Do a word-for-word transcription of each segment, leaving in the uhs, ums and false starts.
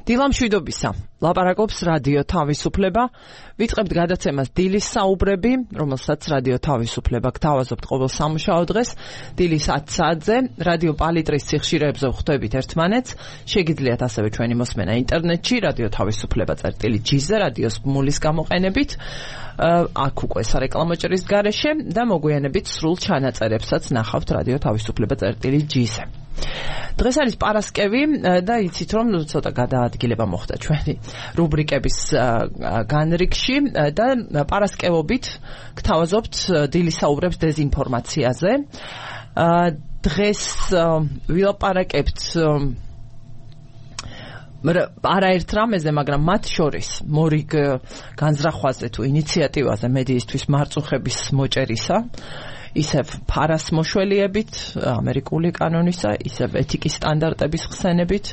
დილამშვიდობისა. ლაპარაკობს რადიო თავისუფლება. ვიწყებთ გადაცემას დილის საუბრები, რომელსაც რადიო თავისუფლება გთავაზობთ ყოველ სამუშაო დღეს, დილის ათი საათზე, რადიო პალიტრის სიხშირეებზე ვხვდებით ერთმანეთს. შეგიძლიათ ასევე ჩვენი მოსმენა ინტერნეტში, რადიო თავისუფლება წერტილი ჯი-ზე, რადიოს ბმულის გამოყენებით. აქ უკვე სარეკლამო ჭრის გარეშე და მოგვიანებით სრულ ჩანაწერებსაც ნახავთ რადიო თავისუფლება წერტილი ჯი-ზე. დღეს არის პარასკევი და იცით რომ ცოტა გადაადგილება მოხდა ჩვენი რუბრიკების განრიგში და პარასკევობით გთავაზობთ დილის საუბრებს დეზინფორმაციაზე. დღეს ვილაპარაკებთ არაერთ რამეზე, მაგრამ მათ შორის მორიგ განზრახვაზე თუ ინიციატივაზე მედიისთვის მარწუხების მოჭერისა, ისევ ფარას მოშველიებით, ამერიკული კანონისა, ისევ ეთიკის სტანდარტების ხსენებით,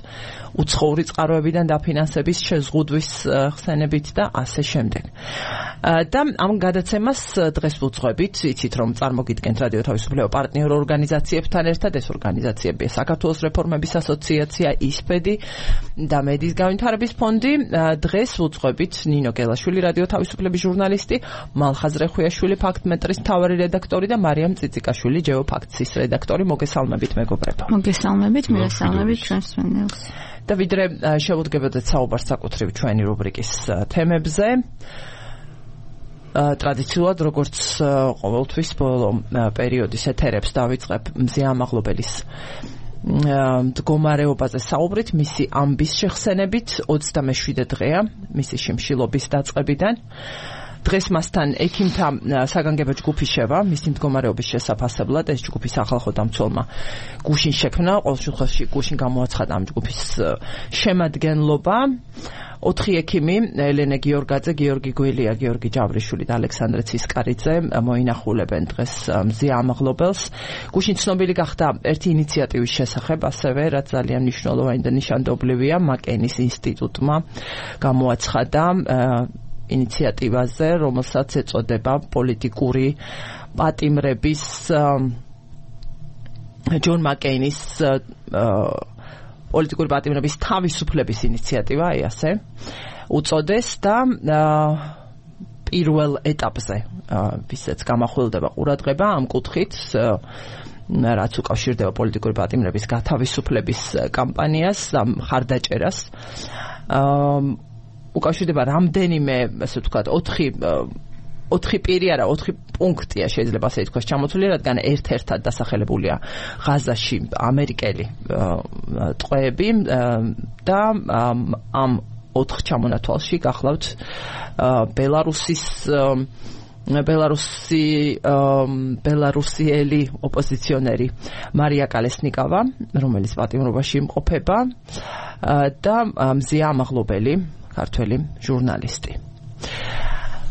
უცხოური წყაროებიდან დაფინანსების შეზღუდვის ხსენებით და ასე შემდეგ. და ამ გადაცემას დღეს ვუძღვებით, იცით რომ წარმოგიდგენთ რადიო თავისუფლება პარტნიორ ორგანიზაციებთან ერთად, ეს ორგანიზაციებია საქართველოს რეფორმების ასოციაცია, ისპედი და მედიის განვითარების ფონდი. დღეს ვუძღვებით ნინო გელაშვილი, რადიო თავისუფლების ჟურნალისტი, მალხაზ რეხვიაშვილი, ფაქტმეტრის მთავარი რედაქტორი და მარიამ წიწიკაშვილი, ჯეოფაქტსის რედაქტორი. მოგესალმებით მეგობრებო. მოგესალმებით, მივესალმებით ჩვენს მსმენელს. და ვიდრე შევუდგებოდეთ საუბარს საკუთრივ ჩვენი რუბრიკის თემებზე, ტრადიციულად როგორც ყოველთვის ბოლო პერიოდის ეთერებს დავიწყებ მზია ამაღლობელის მდგომარეობაზე საუბრით, მისი ამბის შეხსენებით. ოცდამეშვიდე დღეა მისი შიმშილობის დაწყებიდან. დღეს მასთან ექიმთა საგანგებო ჯგუფი შევა მისი მდგომარეობის შესაფასებლად. ეს ჯგუფი სახალხო დამცველმა გუშინ შექმნა, ყოველ შემთხვევაში გუშინ გამოაცხადა ამ ჯგუფის შემადგენლობა. ოთხი ექიმი, ელენე გიორგაძე, გიორგი გველია, გიორგი ჯავრიშვილი და ალექსანდრე ცისკარიძე მოინახულებენ დღეს მზია ამაღლობელს. გუშინ ცნობილი გახდა ერთი ინიციატივის შესახებ, ასევე რაც ძალიან მნიშვნელოვანი და ნიშანდობლივია, მაკენის ინსტიტუტმა გამოაცხადა ინიციატივაზე, რომელსაც ეწოდება პოლიტიკური პატიმრების ჯონ მაკეინის პოლიტიკური პატიმრების თავისუფლების ინიციატივა, აი ასე უწოდეს და პირველ ეტაპზე ვისაც გამახვილდება ყურადღება ამ კუთხით, რაც უკავშირდება პოლიტიკური პატიმრების გათავისუფლების კამპანიას, მხარდაჭერას. უკავშირდება რამდენიმე, ასე ვთქვათ, ოთხი ოთხი პირი არა, ოთხი პუნქტია შეიძლება ასე ითქვას ჩამოთვლილი, რადგან ერთ-ერთად დასახელებულია ღაზაში ამერიკელი ტყვეები და ამ ოთხ ჩამონათვალში გახლავთ ბელარუსის ბელარუსი ბელარუსიელი ოპოზიციონერი მარია კალესნიკავა, რომელიც პატიმრობაში იმყოფება და მზია ამაღლობელი, ქართველი ჟურნალისტი.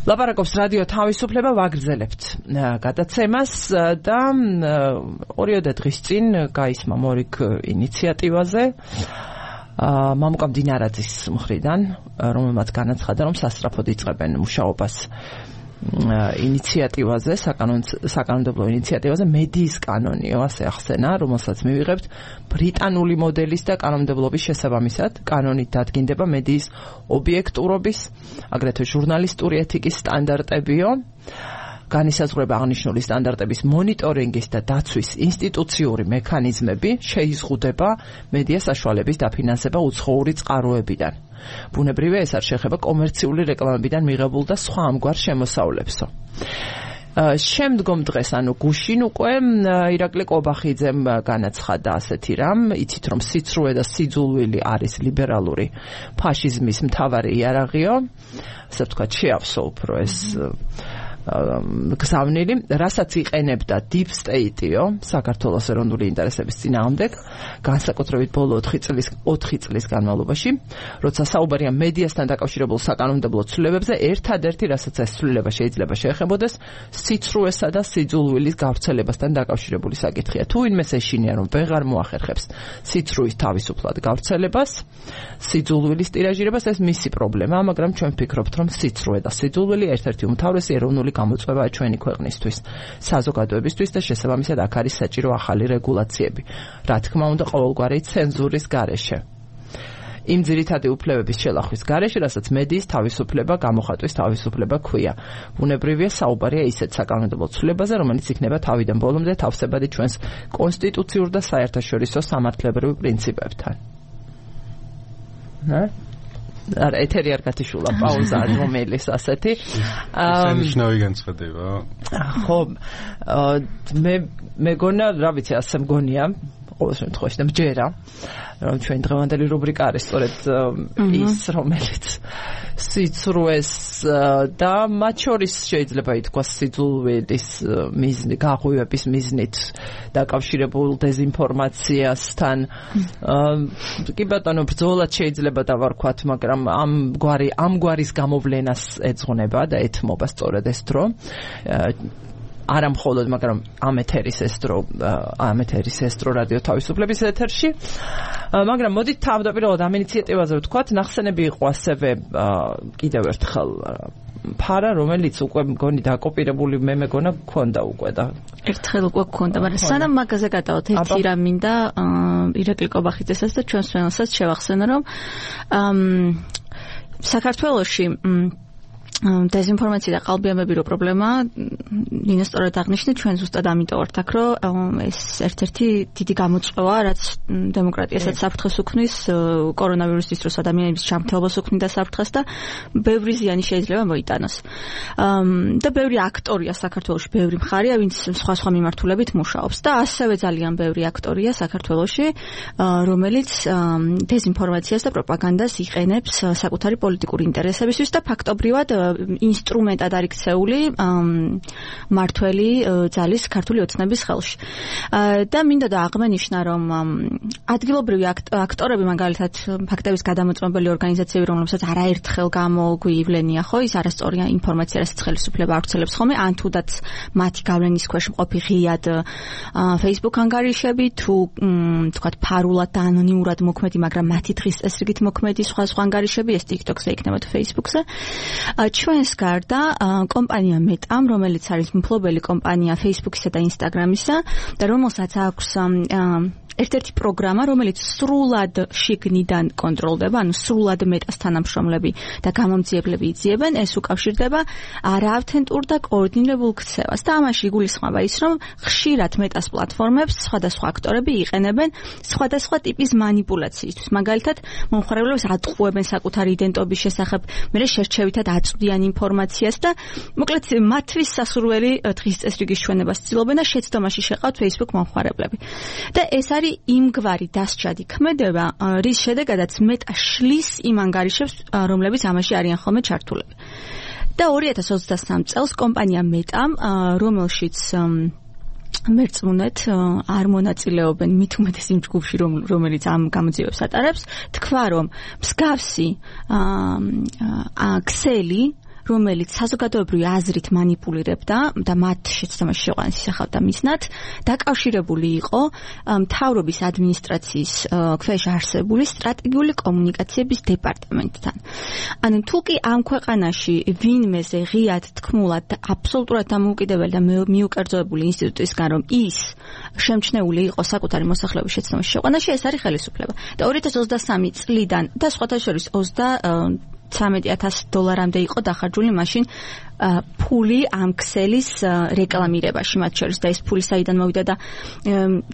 ლაპარაკობს რადიო თავისუფლება, ვაგრძელებთ გადაცემას და ორიოდე დღის წინ გაისმა მორიგ ინიციატივაზე მამუკა მდინარაძის მხრიდან, რომელმაც განაცხადა, რომ სასწრაფოდ იწყებენ მუშაობას ინიციატივაზე, საკანონმდებლო ინიციატივაზე, მედიის კანონიო, ასე ახსენა, რომელსაც მივიღებთ ბრიტანული მოდელის და კანონმდებლობის შესაბამისად. კანონით დადგინდება მედიის ობიექტურობის, აგრეთვე ჟურნალისტური ეთიკის სტანდარტებიო, განისაზღვრება აღნიშნული სტანდარტების მონიტორინგის და დაცვის ინსტიტუციური მექანიზმები, შეიზღუდება მედია საშუალების დაფინანსება უცხოური წყაროებიდან. ბუნებრივია, ეს არ შეეხება კომერციული რეკლამებიდან მიღებულ და სხვა ამგვარ შემოსავლებსო. შემდგომ დღეს, ანუ გუშინ უკვე ირაკლი კობახიძემ განაცხადა ასეთი რამ, იცით რომ სიცრუე და სიძულვილი არის ლიბერალური ფაშიზმის მთავარი იარაღიო, ასე ვთქვათ, შეავსო უფრო ეს გზავნილი, რასაც იყენებდა Deep State-იო, საქართველოს ეროვნული ინტერესების წინააღმდეგ, განსაკუთრებით ბოლო ოთხი წლის ოთხი წლის განმავლობაში, როცა საუბარია მედიასთან დაკავშირებულ საკანონმდებლო ცვლილებებზე, ერთადერთი, რასაც ეს ცვლილება შეიძლება შეეხებოდეს, სიცრუესა და სიძულვილის გავრცელებასთან დაკავშირებული საკითხია. თუ ვინმეს ეშინია, რომ ვეღარ მოახერხებს სიცრუის თავისუფლად გავრცელებას, სიძულვილის ტირაჟირებას, ეს მისი პრობლემაა, მაგრამ ჩვენ ვფიქრობთ, რომ სიცრუე და სიძულვილი ერთ-ერთი უმთავრესი ეროვნული გამოწვევაა ჩვენი ქვეყნისთვის, საზოგადოებისთვის და შესაბამისად აქ არის საჭირო ახალი რეგულაციები. რა თქმა უნდა, ყოველგვარი ცენზურის გარეშე. იმ ძირითადი უფლებების შელახვის გარეშე, რასაც მედიის თავისუფლება, გამოხატვის თავისუფლება ქვია. ბუნებრივია საუბარია ისეთ საკანონმდებლო ცვლილებაზე, რომელიც იქნება თავიდან ბოლომდე თავსებადი ჩვენს კონსტიტუციურ და საერთაშორისო სამართლებრივ პრინციპებთან. ნა? არა, ეთერი არ გათიშულა, პაუზა რომელის ასეთი. სანიშნავი განცხადება. ხო, მე მეგონა, რა ვიცი, ასე მგონია, ყოველ შემთხვევაში და მჯერა, რომ ჩვენ დღევანდელი რუბრიკა არის სწორედ ის, რომელიც სიცრუეს და მათ შორის შეიძლება ითქვას სიძულვილის მიზნით, გაღვივების მიზნით დაკავშირებულ დეзинფორმაციასთან. კი ბატონო, ბრძოლად შეიძლება დავარქვათ, მაგრამ ამ გვარი ამ გვარის გამოვლენას ეძღვნება და ეთმობა სწორედ ეს დრო. არა მხოლოდ, მაგრამ ამ ეთერის ეს დრო, ამ ეთერის ეს დრო რადიო თავისუფლების ეთერში. მაგრამ მოდით თავდაპირველად ამ ინიციატივაზე ვთქვათ, ნახსენები იყო ასევე კიდევ ერთხელ ფარა, რომელიც უკვე მგონი დაკოპირებული მე მეგონა გქონდა უკვე და ერთხელ უკვე გქონდა, მაგრამ სანამ მაგაზე გადავთ, ერთი რამ მინდა ირაკლი კობახიძესაც და ჩვენს ჩვენსაც შევახსენო, რომ საქართველოში დეзинფორმაცია და ყალბიამები რო პრობლემა, ნინო სწორად აღნიშნე, ჩვენ ზუსტად ამიტომ ვართ აქ, რომ ეს ერთ-ერთი დიდი გამოწვევა, რაც დემოკრატიასაც საფრთხეს უქმნის, კორონავირუსის დროს ადამიანების ჯანმრთელობას უქმნიდა საფრთხეს და ბევრი ზიანი შეიძლება მოიტანოს. და ბევრი აქტორია საქართველოში, ბევრი მხარეა, ვინც სხვა-სხვა მიმართულებით მუშაობს და ასევე ძალიან ბევრი აქტორია საქართველოში, რომელიც დეзинფორმაციას და პროპაგანდას იყენებს საკუთარი პოლიტიკური ინტერესებისთვის და ფაქტობრივად ინსტრუმენტად არის ქცეული მართველი ძალის ქართული ოცნების ხელში. და მინდა და აღმენიშნა, რომ ადგილობრივი აქტორები, მაგალითად ფაქტების გადამოწმებელი ორგანიზაციები, რომლებსაც არაერთხელ გამოგვივლენია, ხო, ის არასწორი ინფორმაცია, რასაც ხელისუფლება ავრცელებს ხოლმე, ან თუდაც მათი გავლენის ქვეშ მყოფი ღიად Facebook ანგარიშები, თუ თქვათ ფარულად და ანონიმურად მოქმედი, მაგრამ მათი დღის წესრიგით მოქმედი სხვა სხვა ანგარიშები, ეს TikTok-ზე იქნება თუ Facebook-ზე. ჩვენს გარდა კომპანია მეტამ, რომელიც არის მფლობელი კომპანია Facebook-ისა და Instagram-ისა და რომელსაც აქვს ერთ-ერთი პროგრამა, რომელიც სრულად შიგნიდან კონტროლდება, ანუ სრულად მეტას თანამშრომლები და გამომძიებლები იძიებენ, ეს უკავშირდება არაავთენტურ და კოორდინირებულ ქცევას. და ამაში იგულისხმება ის, რომ ხშირად მეტას პლატფორმებს სხვადასხვა აქტორები იყენებენ სხვადასხვა ტიპის манипуляციისთვის. მაგალითად, მომხმარებლებს ატყუებენ საკუთარი იდენტობის შესახებ, მერე შერჩევითად აწვდიან ინფორმაციას და მოკლედ მათთვის სასურველი დღის წესრიგის ჩვენებას ცდილობენ და შეცდომაში შეყავთ Facebook მომხმარებლები. და ეს არის იმგვარი დასჯადი ქმედება, რის შედეგადაც მეტა შლის იმ ანგარიშებს, რომლებიც ამაში არიან ხოლმე ჩართულები. და ორი ათას ოცდასამ წელს კომპანია მეტამ, რომელშიც მერწმუნეთ არ მონაწილეობენ მით უმეტეს იმ ჯგუფში, რომელიც ამ გამოძიებებს ატარებს, თქვა, რომ მსგავსი ქსელი, რომელიც საზოგადოებრივი აზრით манипуლირებდა და მათ შეცდომაში შეყვანას ისახავდა მიზნად, დაკავშირებული იყო მთავრობის ადმინისტრაციის ქვეშ არსებული სტრატეგიული კომუნიკაციების დეპარტამენტთან. ანუ თუ კი ამ ქვეყანაში ვინმეზე ღიად თქმულად და აბსოლუტურად დამოუკიდებელი და მიუკერძოებული ინსტიტუტისგან, რომ ის შემჩნეული იყო საკუთარი მოსახლეობის შეცდომაში შეყვანაში, ეს არის ხელისუფლება. და ორი ათას ოცდასამი წლიდან და სხვათა შორის ოცდათვრამეტი ათასი დოლარამდე იყო დახარჯული მაშინ ფული ამ ქსელის რეკლამირებაში მათ შორის და ეს ფული საიდან მოვიდა და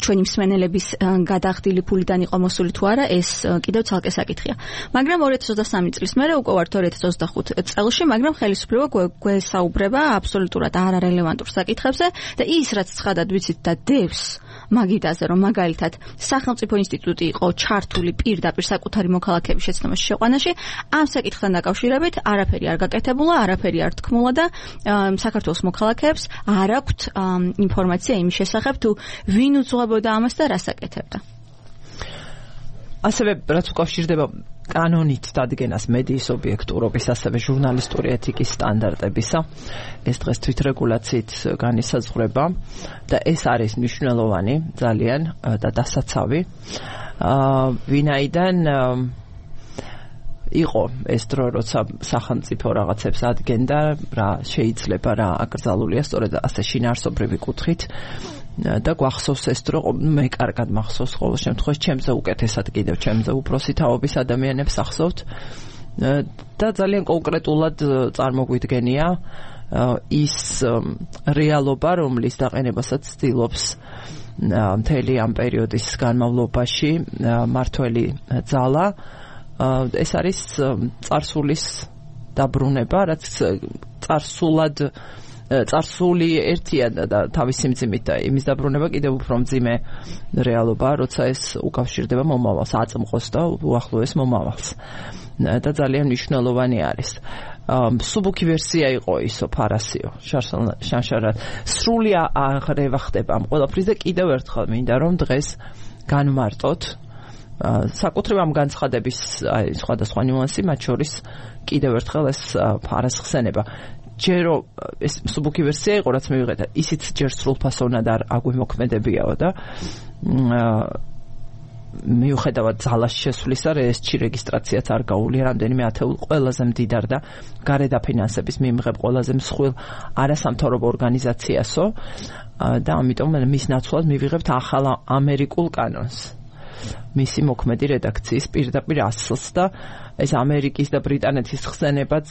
ჩვენი მსმენელების გადახდილი ფულიდან იყო მოსული თუ არა, ეს კიდევ ცალკე საკითხია. მაგრამ ორი ათას ოცდასამი წლის მერე უკვე ვართ ორი ათას ოცდახუთი წელში, მაგრამ ხელისუფლება გვესაუბრება აბსოლუტურად არარელევანტურ საკითხებზე და ის რაც ცხადად ვიცით და დევს მაგიდაზე, რომ მაგალითად სახელმწიფო ინსტიტუტი იყო ჩართული პირდაპირ საკუთარი მოქალაქეების შეცდომაში შეყვანაში, ამ საკითხთან დაკავშირებით არაფერი არ გაკეთებულა, არაფერი არ თქმულა და საქართველოს მოქალაქეებს არ აქვთ ინფორმაცია იმის შესახებ, თუ ვინ უძღვებოდა ამას და რას აკეთებდა. ასევე რაც უკავშირდება კანონით დადგენას მედიის ობიექტურობის, ასევე ჟურნალისტური ეთიკის სტანდარტებისა, ეს დღეს თვითრეგულაციით განისაზღვრება და ეს არის მნიშვნელოვანი ძალიან და დასაცავი, ვინაიდან იყო ეს დრო, როცა სახელმწიფო რაღაცებს ადგენდა, რა შეიძლება, რა აკრძალულია, სწორედ ასე შინაარსობრივი კუთხით და გვახსოვს ეს დრო მე კარგად მახსოვს ყოველ შემთხვევაში ჩემზე უკეთესად კიდევ ჩემზე უფროსი თაობის ადამიანებს ახსოვთ და ძალიან კონკრეტულად წარმოგვიდგენია ის რეალობა რომლის დაყენებასაც ცდილობს მთელი ამ პერიოდის განმავლობაში მართველი ძალა ეს არის წარსულის დაბრუნება რაც წარსულად წარსული ერთია და თავისი მძიმით და იმის დაბრუნება კიდევ უფრო მძიმე რეალობაა, როცა ეს უკავშირდება მომავალს, აწმყოს და უახლოეს მომავალს. და ძალიან მნიშვნელოვანი არის. სუბუქი ვერსია იყო ისო ფარასიო, შანშარად. სრული აღრევა ხდება ამ ყველაფრის და კიდევ ერთხელ მინდა რომ დღეს განმარტოთ საკუთრივ ამ განცხადების აი სხვადასხვა ნიუანსი, მათ შორის კიდევ ერთხელ ეს ფარასხსენება. ჯერო ეს სუბუქი ვერსია იყო რაც მივიღეთ ისიც ჯერ სრულფასოვნად არ აგვიმოქმედებიაო და მიუხედავად ძალას შესვლისა რეესტრი რეგისტრაციაც არ გაუვლია რამდენიმე ათეულ ყველაზე მდიდარ და გარეთ დაფინანსების მიმღებ ყველაზე მსხვილ არასამთავრობო ორგანიზაციასო და ამიტომ მის ნაცვლად მივიღებთ ახალ ამერიკულ კანონს მისი მოქმედი რედაქციის პირდაპირ ასლს და ეს ამერიკის და ბრიტანეთის ხსენებაც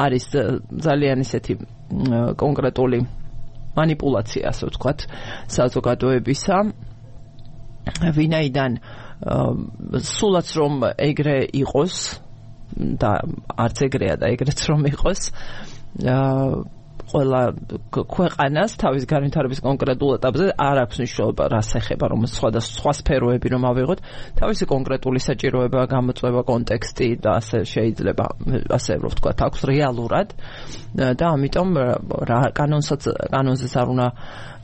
არის ძალიან ისეთი კონკრეტული манипуляция, ასე ვთქვათ, საზოგადოებისა. ვინაიდან სულაც რომ ეგრე იყოს და არც ეგრეა და ეგრეც რომ იყოს, ყველა ქვეყანას თავის განვითარების კონკრეტულ ეტაპზე არ აქვს მნიშვნელობა რას ეხება რომ სხვა სხვა სფეროები რომ ავიღოთ თავისი კონკრეტული საჭიროება გამოწვევა კონტექსტი და ასე შეიძლება ასე რომ ვთქვათ აქვს რეალურად და ამიტომ რა კანონსაც კანონზეც არ უნდა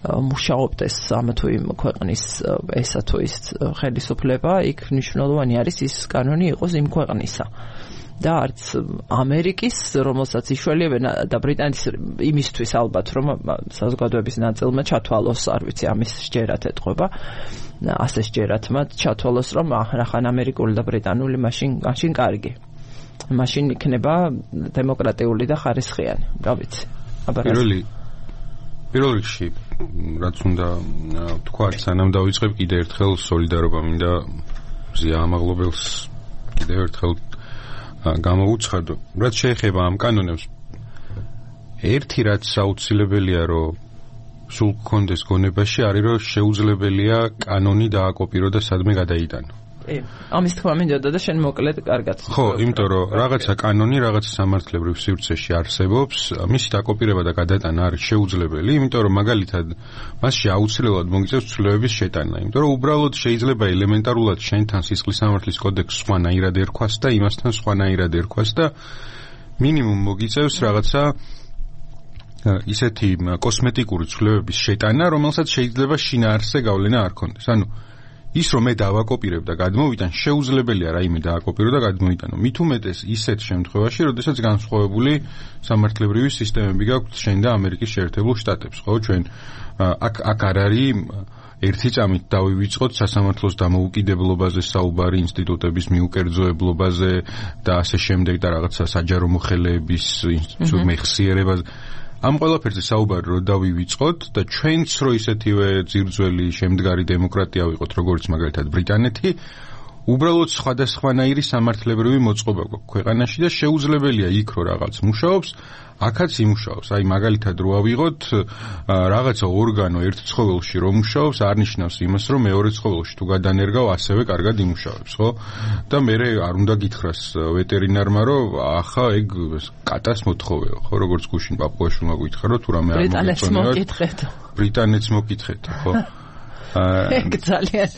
მუშაობდეს ამ თუ იმ ქვეყნის ესა თუ ის ხელისუფლება იქ მნიშვნელოვანი არის ის კანონი იყოს იმ ქვეყნისა და არც ამერიკის, რომელსაც იშველებენ და ბრიტანეთის იმისთვის ალბათ, რომ საზოგადოების ნაწილმა ჩათვალოს, არ ვიცი, ამის შეერათ ეთყობა, ასე შეერათ მათ ჩათვალოს, რომ რახან ამერიკული და ბრიტანული მაშინ მაშინ კარგი. მაშინ იქნება დემოკრატიული და ხარისხიანი, რა ვიცი. პირველი პირველ რიგში რაც უნდა თქვა, სანამ დავიწყებ კიდე ერთხელ სოლიდარობა მინდა ზია ამაღლობელს კიდე ერთხელ გამოუცხადო. რაც შეეხება ამ კანონებს, ერთი რაც აუცილებელია, რომ სულ გქონდეს გონებაში, არის რომ შეუძლებელია კანონი დააკოპირო და სადმე გადაიტანო. კი, ამის თქმა მინდოდა და შენ მოკლედ კარგად. ხო, იმიტომ რომ რაღაცა კანონი, რაღაცა სამართლებრივ სივრცეში არსებობს, მისი დაკოპირება და გადატანა არის შეუძლებელი, იმიტომ რომ მაგალითად მასში აუცილებლად მოგიწევს ცვლილებების შეტანა, იმიტომ რომ უბრალოდ შეიძლება ელემენტარულად შენთან სისხლის სამართლის კოდექსს სხვანაირად ერქვას და იმასთან სხვანაირად ერქვას და მინიმუმ მოგიწევს რაღაცა ისეთი კოსმეტიკური ცვლილებების შეტანა, რომელსაც შეიძლება შინაარსზე გავლენა არ ქონდეს. ანუ ის რომ მე დავაკოპირებ და გადმოვიტან შეუძლებელია რაიმე დააკოპირო და გადმოიტანო. მით უმეტეს ისეთ შემთხვევაში, როდესაც განსხვავებული სამართლებრივი სისტემები გაქვთ შენ და ამერიკის შეერთებულ შტატებს, ხო? ჩვენ აქ აქ არ არის ერთი წამით დავივიწყოთ სასამართლოს დამოუკიდებლობაზე საუბარი, ინსტიტუტების მიუკერძოებლობაზე და ასე შემდეგ და რაღაცა საჯარო მოხელეების მეხსიერებაზე. ამ ყველაფერზე საუბარი რო დავივიწყოთ და ჩვენც რო ისეთივე ძირძველი შემდგარი დემოკრატია ვიყოთ, როგორც მაგალითად ბრიტანეთი, უბრალოდ სხვადასხვანაირი სამართლებრივი მოწყობა გვაქვს ქვეყანაში და შეუძლებელია იქ რო რაღაც მუშაობს, აქაც იმუშაობს. აი მაგალითად რო ავიღოთ რაღაცა ორგანო ერთ ცხოველში რო მუშაობს, არ ნიშნავს იმას, რომ მეორე ცხოველში თუ გადანერგავ, ასევე კარგად იმუშავებს, ხო? და მე არ უნდა გითხრას ვეტერინარმა, რომ ახლა ეგ კატას მოთხოვეო, ხო? როგორც გუშინ პაპუაშვილმა გითხრა, რომ თუ რამე არ მოგეწონებათ. ბრიტანეთს მოკითხეთ, ხო? ეგ ძალიან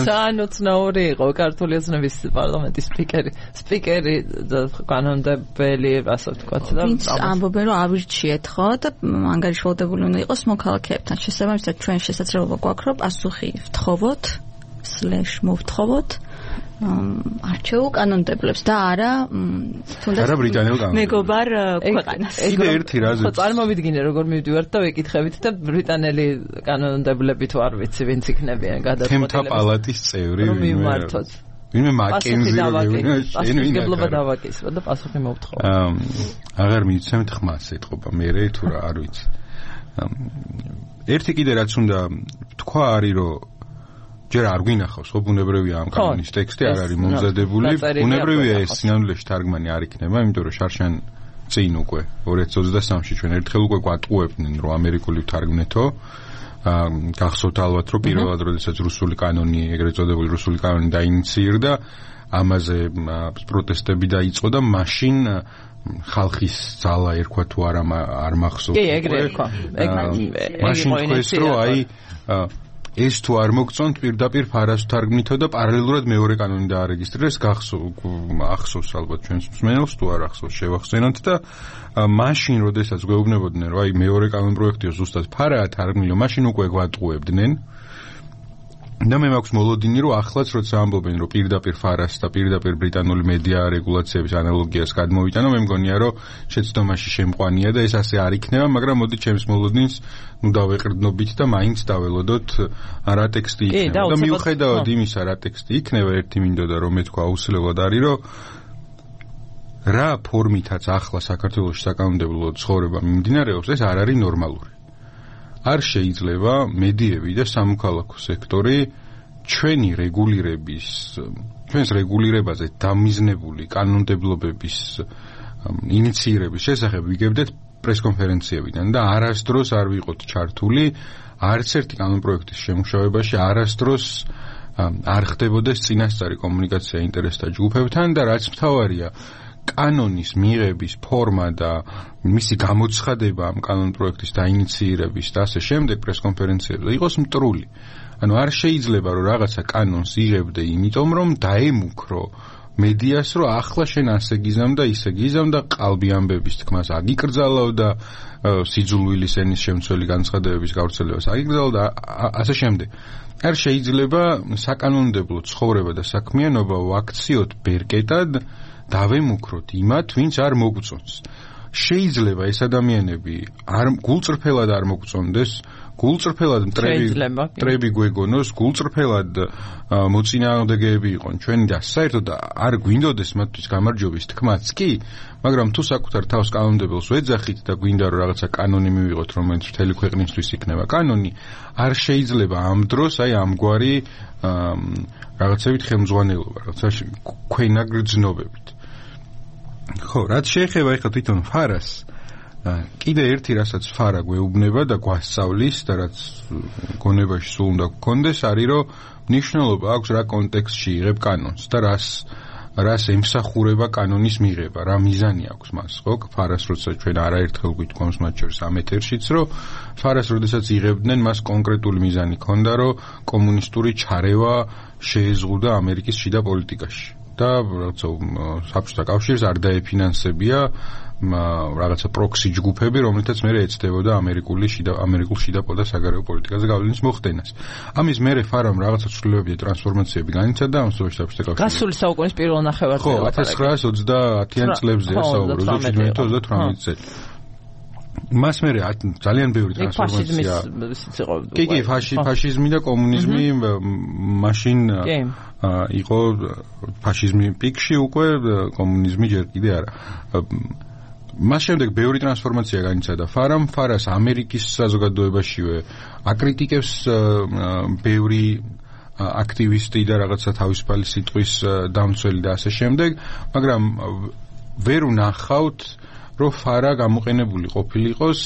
ძალიან უცნაური იყო ქართული ოცნების პარლამენტის სპიკერი სპიკერი კანონმდებელი ასე ვთქვათ და ამბობენ რომ ავირჩიეთ ხო და ანგარიშვალდებული უნდა იყოს მოქალაქეებთან შესაბამისად ჩვენ შესაძლებლობა გვაქვს რომ პასუხი ვთხოვოთ სლეშ მოვთხოვოთ არჩეულ კანონმდებლებს და არა თუნდაც არა ბრიტანელ კანონმდებლებს მეგობარ ქვეყანას კიდე ერთი რაზე ხო წარმოვიდგინე როგორ მივდივართ და ვეკითხებით და ბრიტანელი კანონმდებლები თუ არ ვიცი ვინც იქნებიან გადაწყვეტილების თემთა პალატის წევრი მიმართოთ ვინმე მაკენზი პასუხისმგებლობა დავაკისრო და პასუხი მოვთხოვო აღარ მიცემთ ხმას ეთყობა მე თუ რა არ ვიცი ერთი კიდე რაც უნდა თქვა არის რომ ჯერ არ გვინახავს ხო ბუნებრივია ამ კანონის ტექსტი არ არის მომზადებული ბუნებრივია ეს სინამდვილეში თარგმანი არ იქნება იმიტომ რომ შარშან წინ უკვე ორი ათას ოცდასამში ჩვენ ერთხელ უკვე გვატყუებდნენ რომ ამერიკული ვთარგმნეთო გახსოვთ ალბათ რომ პირველად როდესაც რუსული კანონი ეგრეთ წოდებული რუსული კანონი დაინიციერდა ამაზე პროტესტები დაიწყო და მაშინ ხალხის ძალა ერქვა თუ არა არ მახსოვს კი ეგრე ერქვა მაშინ თქვეს რომ აი ეს თუ არ მოგწონთ პირდაპირ ფარას თარგმნითო და პარალელურად მეორე კანონი დაარეგისტრირეს ახსოვს ალბათ ჩვენს მსმენელს თუ არ ახსოვს შევახსენოთ და მაშინ როდესაც გვეუბნებოდნენ რომ აი მეორე კანონ პროექტიო ზუსტად ფარაა თარგმნილი მაშინ უკვე გვატყუებდნენ და მე მაქვს მოლოდინი რომ ახლაც როცა ამბობენ რომ პირდაპირ ფარას და პირდაპირ ბრიტანული მედია რეგულაციების ანალოგიას გადმოვიტანო მე მგონია რომ შეცდომაში შემყვანია და ეს ასე არ იქნება მაგრამ მოდი ჩემს მოლოდინს ნუ დავეყრდნობით და მაინც დაველოდოთ რა ტექსტი იქნება და მიუხედავად იმისა რა ტექსტი იქნება ერთი მინდოდა რომ მე თქვა აუცილებლად არის რომ რა ფორმითაც ახლა საქართველოში საკანონმდებლო ცხოვრება მიმდინარეობს ეს არ არის ნორმალური არ შეიძლება მედიები და სამოქალაქო სექტორი ჩვენი რეგულირების ჩვენს რეგულირებაზე დამიზნებული კანონმდებლობების ინიციირების შესახებ ვიგებდეთ პრესკონფერენციებიდან და არასდროს არ ვიყოთ ჩართული არც ერთი კანონპროექტის შემუშავებაში არასდროს არ ხდებოდეს წინასწარი კომუნიკაცია ინტერესთა ჯგუფებთან და რაც მთავარია კანონის მიღების ფორმა და მისი გამოცხადება ამ კანონპროექტის დაინიციირების და ასე შემდეგ პრესკონფერენციებზე იყოს მტრული. ანუ არ შეიძლება რომ რაღაცა კანონს იღებდე იმიტომ რომ დაემუქრო მედიას რომ ახლა შენ ასე გიზამ და ისე გიზამ და ყალბი ამბების თქმას აგიკრძალავ და სიძულვილის ენის შემცველი განცხადებების გავრცელებას აგიკრძალავ და ასე შემდეგ. არ შეიძლება საკანონმდებლო ცხოვრება და საქმიანობა ვაქციოთ ბერკეტად დავემუქროთ იმათ, ვინც არ მოგწონს. შეიძლება ეს ადამიანები არ გულწრფელად არ მოგწონდეს, გულწრფელად მტრები მტრები გვეგონოს, გულწრფელად მოწინააღმდეგეები იყვნენ ჩვენი და საერთოდ არ გვინდოდეს მათთვის გამარჯვების თქმაც კი, მაგრამ თუ საკუთარ თავს კანონმდებელს ვეძახით და გვინდა რომ რაღაცა კანონი მივიღოთ, რომელიც მთელი ქვეყნისთვის იქნება კანონი, არ შეიძლება ამ დროს აი ამგვარი რაღაცებით ხელმძღვანელობა, რაღაცა ქვენაგრძნობებით. ხო, რაც შეეხება ეხლა თვითონ ფარას, კიდე ერთი რასაც ფარა გვეუბნება და გვასწავლის და რაც გონებაში სულ უნდა გქონდეს, არის რომ მნიშვნელობა აქვს რა კონტექსტში იღებ კანონს და რას რას ემსახურება კანონის მიღება, რა მიზანი აქვს მას, ხო? ფარას როცა ჩვენ არაერთხელ გვითქვამს მათ შორის ამ ეთერშიც, რომ ფარას როდესაც იღებდნენ, მას კონკრეტული მიზანი ჰქონდა, რომ კომუნისტური ჩარევა შეეზღუდა ამერიკის შიდა პოლიტიკაში. და რაღაცა საბჭოთა კავშირს არ დაეფინანსებია რაღაცა პროქსი ჯგუფები, რომლითაც მე ეცდებოდა ამერიკული შიდა ამერიკულ შიდა და საგარეო პოლიტიკაზე გავლენის მოხდენას. ამის მერე ფარამ რაღაცა ცვლილებები და ტრანსფორმაციები განიცადა ამ საბჭოთა კავშირში. გასული საუკუნის პირველ ნახევარში. ხო, ათას ცხრაასი ოცდაათიან წლებზეა საუბარი, ოცდათვრამეტი წელი. მას მერე ძალიან ბევრი ტრანსფორმაცია. კი, კი, ფაშიზმი და კომუნიზმი მაშინ იყო ფაშიზმი პიკში უკვე კომუნიზმი ჯერ კიდე არა. მას შემდეგ ბევრი ტრანსფორმაცია განიცადა ფარამ, ფარას ამერიკის საზოგადოებაშივე აკრიტიკებს ბევრი აქტივისტი და რაღაცა თავისუფალი სიტყვის დამცველი და ასე შემდეგ, მაგრამ ვერ ვნახავთ რომ ფარა გამოყენებული ყოფილიყოს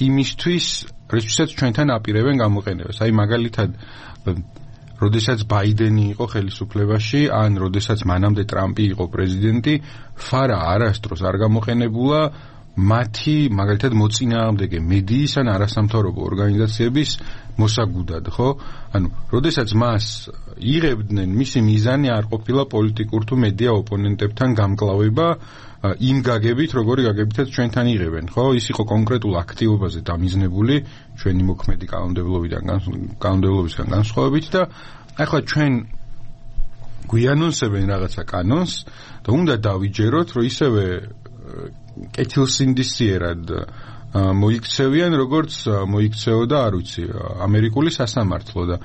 იმისთვის, რისთვისაც ჩვენთან აპირებენ გამოყენებას. აი მაგალითად, როდესაც ბაიდენი იყო ხელისუფლებაში, ან როდესაც მანამდე ტრამპი იყო პრეზიდენტი, ფარა არასდროს არ გამოყენებულა მათი მაგალითად მოწინააღმდეგე მედიის ან არასამთავრობო ორგანიზაციების მოსაგუდად, ხო? ანუ, როდესაც მას იღებდნენ, მისი მიზანი არ ყოფილა პოლიტიკურ თუ მედია ოპონენტებთან გამკლავება იმ გაგებით, როგორი გაგებითაც ჩვენთან იღებენ, ხო? ის იყო კონკრეტულ აქტივობაზე დამიზნებული ჩვენი მოქმედი კანონმდებლობიდან კანონმდებლობისგან განსხვავებით და ახლა ჩვენ გვიანონსებენ რაღაცა კანონს და უნდა დავიჯეროთ, რომ ისევე კეთილსინდისიერად მოიქცევიან, როგორც მოიქცეოდა, არ ვიცი, ამერიკული სასამართლო და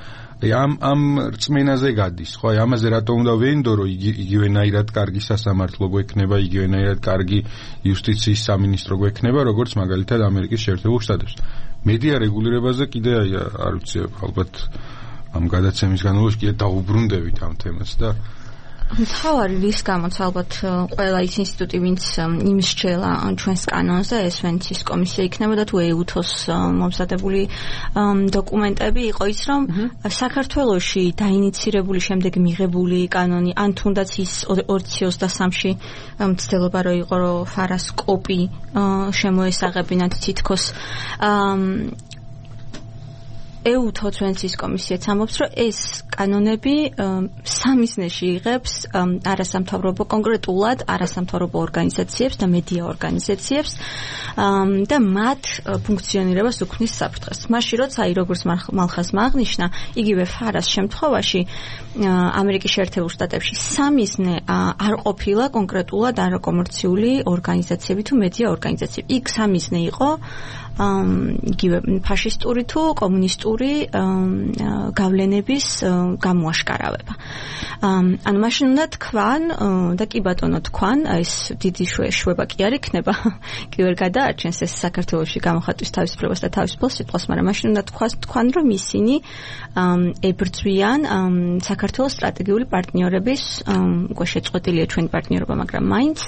ამ ამ რწმენაზე გადის, ხო? აი ამაზე რატომ უნდა ვენდო, რომ იგივენაირად კარგი სასამართლო გვექნება, იგივენაირად კარგი იუსტიციის სამინისტრო გვექნება, როგორც მაგალითად ამერიკის შეერთებულ შტატებში. მედია რეგულირებაზე კიდე აი არ ვიცი ალბათ ამ გადაცემის განმავლობაში კიდე დაუბრუნდებით ამ თემას და მთავარი რის გამოც ალბათ ყველა ის ინსტიტუტი ვინც იმის შელა ჩვენს კანონზე ეს ვენცის კომისია იქნებოდა თუ ეუთოს მომზადებული დოკუმენტები იყო ის რომ საქართველოში დაინიცირებული შემდეგ მიღებული კანონი ან თუნდაც ის ორ ოცი სამში მცდელობა რო იყო რომ ფარას კოპი შემოესაღებინათ თითქოს ეუთო ჩვენცის კომისიაც ამბობს, რომ ეს კანონები სამიზნეში იღებს არასამთავრობო კონკრეტულად არასამთავრობო ორგანიზაციებს და მედია ორგანიზაციებს და მათ ფუნქციონირებას უქმნის საფრთხეს. მაშინ როცა აი როგორც მალხაზმა აღნიშნა, იგივე ფარას შემთხვევაში ამერიკის შეერთებულ შტატებში სამიზნე არ ყოფილა კონკრეტულად არაკომერციული ორგანიზაციები თუ მედია ორგანიზაციები. იქ სამიზნე იყო იგივე ფაშისტური თუ კომუნისტური გავლენების გამოაშკარავება. ანუ მაშინ უნდა თქვან და კი ბატონო თქვან, ეს დიდი შვება კი არ იქნება, კი ვერ გადაარჩენს ეს საქართველოში გამოხატვის თავისუფლებას და თავისუფლ სიტყვას, მაგრამ მაშინ უნდა თქვან, რომ ისინი ებრძვიან საქართველოს სტრატეგიული პარტნიორების, უკვე შეწყვეტილია ჩვენი პარტნიორობა, მაგრამ მაინც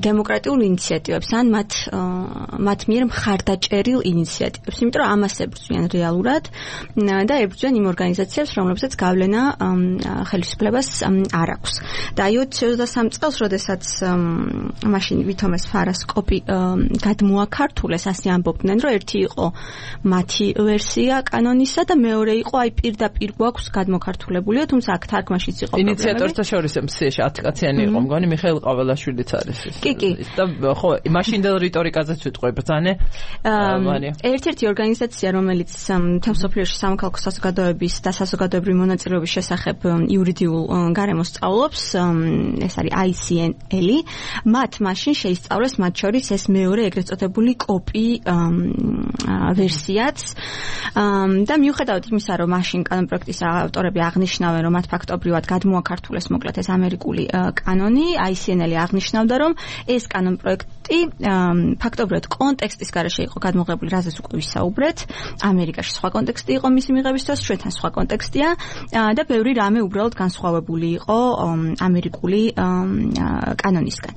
დემოკრატიულ ინიციატივებს ან მათ მათ მიერ მხარდაჭერილ ინიციატივებს, იმიტომ რომ ამას ებრძვიან რეალურად და ებრძვიან იმ ორგანიზაციებს, რომლებსაც გავლენა ხელისუფლებას არ აქვს. და აი ოცი ოცდასამი წელს, როდესაც მაშინ ვითომეს ფარას კოპი გადმოაქართულეს, ასე ამბობდნენ, რომ ერთი იყო მათი ვერსია კანონისა და მეორე იყო აი პირდაპირ გვაქვს გადმოქართულებულიო, თუმცა აქ თარგმანშიც იყო პრობლემები. ინიციატორთა შორის მსიაში ათი კაციანი იყო მგონი მიხეილ ყაველაშვილიც არის ეს. კი, კი. და ხო, მაშინდელ რიტორიკაზეც ვიტყვი ბრძანე. ერთ-ერთი ორგანიზაცია, რომელიც მთელსოფლიოში სამოქალაქო საზოგადოების და საზოგადოებრივი მონაწილეობის შესახებ იურიდიულ გარემოს სწავლობს, ეს არის აი სი ენ ელ-ი, მათ მაშინ შეისწავლეს მათ შორის ეს მეორე ეგრეთ წოდებული კოპი ვერსიაც და მიუხედავად იმისა, რომ მაშინ კანონპროექტის ავტორები აღნიშნავენ, რომ მათ ფაქტობრივად გადმოაქართულეს მოკლედ ეს ამერიკული კანონი, აი სი ენ ელ-ი აღნიშნავდა, რომ ეს კანონპროექტი ფაქტობრივად კონტექსტის გარეშე იყო გადმოღებული, რაზეც უკვე ვისაუბრეთ. ამერიკაში სხვა კონტექსტი იყო მისი მიღების დროს, ჩვენთან სხვა კონტექსტია და ბევრი რამე უბრალოდ განსხვავებული იყო ამერიკული კანონისგან.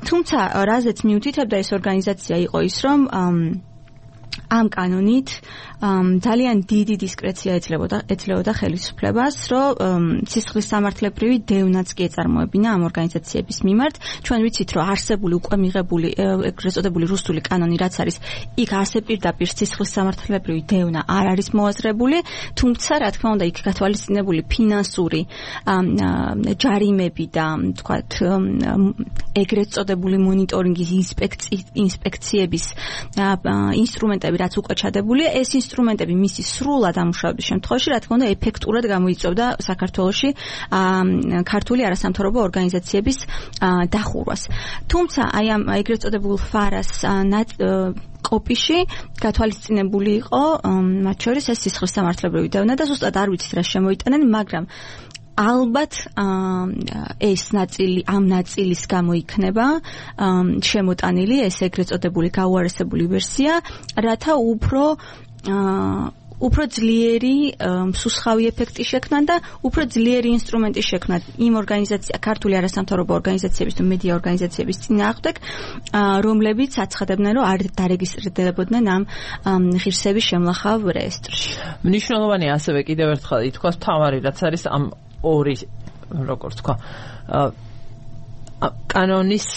თუმცა რაზეც მიუთითებდა ეს ორგანიზაცია იყო ის, რომ ამ კანონით ძალიან დიდი დისკრეცია ეძლებოდა ეძლებოდა ხელისუფლებას, რომ სისხლის სამართლებრივი დევნაც კი ეწარმოებინა ამ ორგანიზაციების მიმართ. ჩვენ ვიცით, რომ არსებული უკვე მიღებული ეგრეთ წოდებული რუსული კანონი, რაც არის, იქ ასე პირდაპირ სისხლის სამართლებრივი დევნა არ არის მოაზრებული, თუმცა რა თქმა უნდა იქ გათვალისწინებული ფინანსური ჯარიმები და თქვათ ეგრეთ წოდებული მონიტორინგის ინსპექციების ინსტრუმენტები, რაც უკვე ჩადებულია, ეს ინსტრუმენტები მისი სრულად ამუშავების შემთხვევაში, რა თქმა უნდა, ეფექტურად გამოიწვევდა საქართველოში ქართული არასამთავრობო ორგანიზაციების დახურვას. თუმცა აი ამ ეგრეთ წოდებულ ფარას კოპიში გათვალისწინებული იყო მათ შორის ეს სისხლის სამართლებრივი დევნა და ზუსტად არ ვიცით რა შემოიტანენ, მაგრამ ალბათ ეს ნაწილი ამ ნაწილის გამო იქნება შემოტანილი ეს ეგრეთ წოდებული გაუარესებული ვერსია, რათა უფრო უფრო ძლიერი მსუსხავი ეფექტი შექმნან და უფრო ძლიერი ინსტრუმენტი შექმნან იმ ორგანიზაცია, ქართული არასამთავრობო ორგანიზაციების და მედია ორგანიზაციების წინააღმდეგ, რომლებიც აცხადებდნენ, რომ არ დარეგისტრირდებოდნენ ამ ღირსების შემლახავ რეესტრში. მნიშვნელოვანია ასევე კიდევ ერთხელ ითქვას თავარი, რაც არის ამ ორი, როგორც თქვა, კანონის,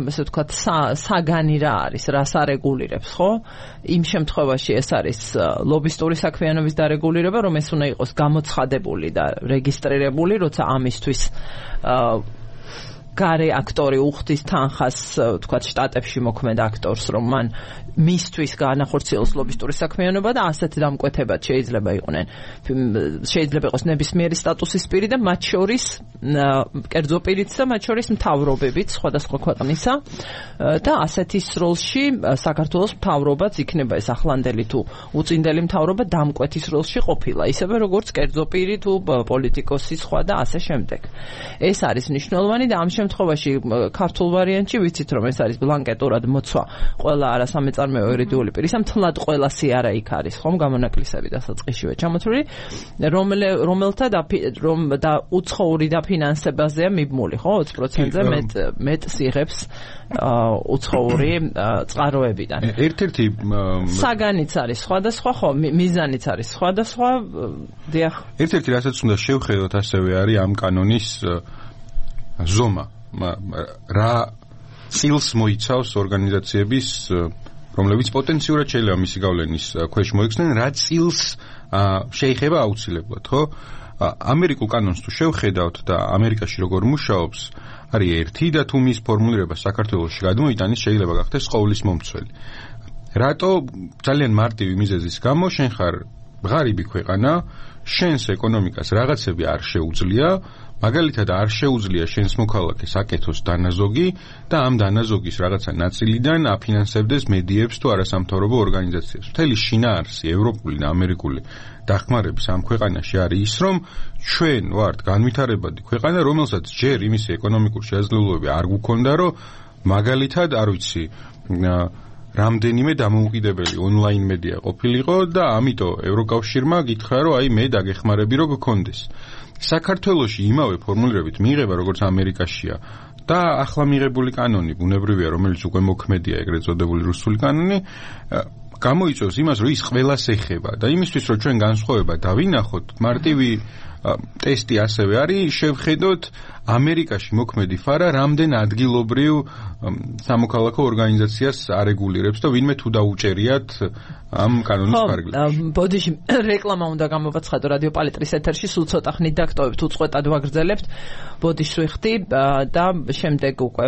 ესე ვთქვათ, საგანი რა არის, რას არეგულირებს, ხო? იმ შემთხვევაში ეს არის ლობისტური საქმიანობის დარეგულირება, რომ ეს უნდა იყოს გამოცხადებული და რეგისტრირებული, როცა ამისთვის გარე აქტორი უხდის თანხას, თქვათ, შტატებში მოქმედ აქტორს, რომ მან მისთვის განახორციელოს ლობისტური საქმიანობა და ასეთი დამკვეთებად შეიძლება იყვნენ. შეიძლება იყოს ნებისმიერი სტატუსის პირი და მათ შორის კერძო პირიც და მათ შორის მთავრობებიც სხვადასხვა ქვეყნისა და ასეთის როლში საქართველოს მთავრობაც იქნება ეს ახლანდელი თუ უწინდელი მთავრობა დამკვეთის როლში ყოფილა, ისევე როგორც კერძო პირი თუ პოლიტიკოსი სხვა და ასე შემდეგ. ეს არის მნიშვნელოვანი და ამ შემთხვევაში ქართულ ვარიანტში ვიცით რომ ეს არის ბლანკეტურად მოცვა ყველა არასამეწარმეო იურიდიული პირის მთლად ყველა სიარა იქ არის ხომ გამონაკლისები დასაწყისშივე ჩამოთვლილი რომელთა რომ და უცხოური დაფინანსებაზეა მიბმული ხო ოცი პროცენტზე მეტ მეტს იღებს უცხოური წყაროებიდან ერთ-ერთი საგანიც არის სხვადასხვა ხო მიზანიც არის სხვადასხვა დიახ ერთ-ერთი რასაც უნდა შევხედოთ ასევე არის ამ კანონის ზომა რა წილს მოიცავს ორგანიზაციების რომლებიც პოტენციურად შეიძლება მისი გავლენის ქვეშ მოიქცნენ რა წილს შეიხება აუცილებლად ხო ამერიკულ კანონს თუ შევხედავთ და ამერიკაში როგორ მუშაობს არის ერთი და თუ მის ფორმულირება საქართველოში გადმოიტანის შეიძლება გახდეს ყოვლის მომცველი რატო ძალიან მარტივი მიზეზის გამო შენ ხარ ღარიბი ქვეყანა შენს ეკონომიკას რაღაცები არ შეუძლია მაგალითად არ შეუძლია შენს მოქალაქეს აკეთოს დანაზოგი და ამ დანაზოგის რაღაცა ნაწილიდან აფინანსებდეს მედიებს თუ არასამთავრობო ორგანიზაციებს. მთელი შინაარსი ევროპული და ამერიკული დახმარების ამ ქვეყანაში არის ის, რომ ჩვენ ვართ განვითარებადი ქვეყანა, რომელსაც ჯერ იმისი ეკონომიკური შესაძლებლობები არ გვქონდა, რომ მაგალითად, არ ვიცი, რამდენიმე დამოუკიდებელი ონლაინ მედია ყოფილიყო და ამიტომ ევროკავშირმა გითხრა, რომ აი მე დაგეხმარები რო გქონდეს. საქართველოში იმავე ფორმულირებით მიიღება როგორც ამერიკაშია და ახლა მიღებული კანონი ბუნებრივია რომელიც უკვე მოქმედია ეგრეთ წოდებული რუსული კანონი გამოიწვევს იმას რომ ის ყველას ეხება და იმისთვის რომ ჩვენ განსხვავება დავინახოთ მარტივი ტესტი ასევე არის შევხედოთ ამერიკაში მოქმედი ფარა რამდენ ადგილობრივ სამოქალაქო ორგანიზაციას არეგულირებს და ვინმე თუ დაუჭერიათ ამ კანონის ფარგლებში. ბოდიში რეკლამა უნდა გამოვაცხადო რადიო პალიტრის ეთერში სულ ცოტა ხნით დაგტოვებთ უწყვეტად ვაგრძელებთ ბოდიშს ვიხდი და შემდეგ უკვე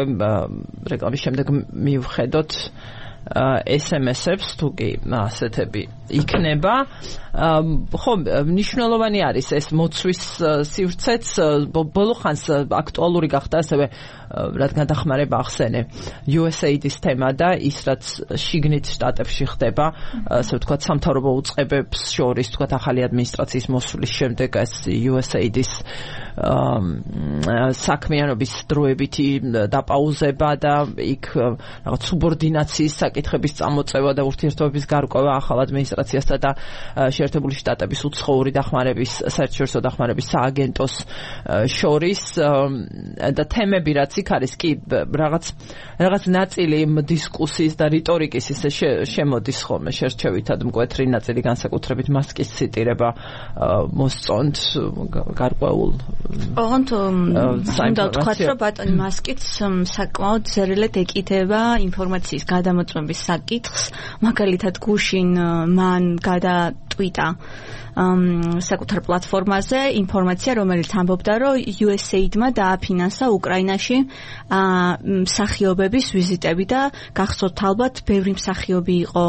რეკლამის შემდეგ მივხედოთ ეს ემ ეს-ებს თუ კი ასეთები იქნება ხო მნიშვნელოვანი არის ეს მოცვის სივრცეც ბოლო ხანს აქტუალური გახდა ასევე რადგან დახმარება ახსენე იუ ეს έი დის თემა და ის რაც შიგნით შტატებში ხდება ასე ვთქვათ სამთავრობო უწყებებს შორის ვთქვათ ახალი ადმინისტრაციის მოსვლის შემდეგ ეს იუ ეს έი დის საქმიანობის დროებითი დაპაუზება და იქ რაღაც სუბორდინაციის საკითხების წამოწევა და ურთიერთობების გარკვევა ახალ ადმინისტრაციასთან და შეერთებული შტატების უცხოური დახმარების საერთაშორისო დახმარების სააგენტოს შორის და თემები რაც იქ არის კი რაღაც რაღაც ნაწილი დისკუსიის და რიტორიკის ისე შემოდის ხოლმე შერჩევითად მკვეთრი ნაწილი განსაკუთრებით მასკის ციტირება მოსწონთ გარკვეულ ოღონდ უნდა ვთქვათ რომ ბატონი მასკიც საკმაოდ ზერელად ეკიდება ინფორმაციის გადამოწმების საკითხს მაგალითად გუშინ მან გადატვიტა საკუთარ პლატფორმაზე ინფორმაცია რომელიც ამბობდა რომ იუ ეს ეი-დმა დააფინანსა უკრაინაში მსახიობების ვიზიტები და გახსოვთ ალბათ ბევრი მსახიობი იყო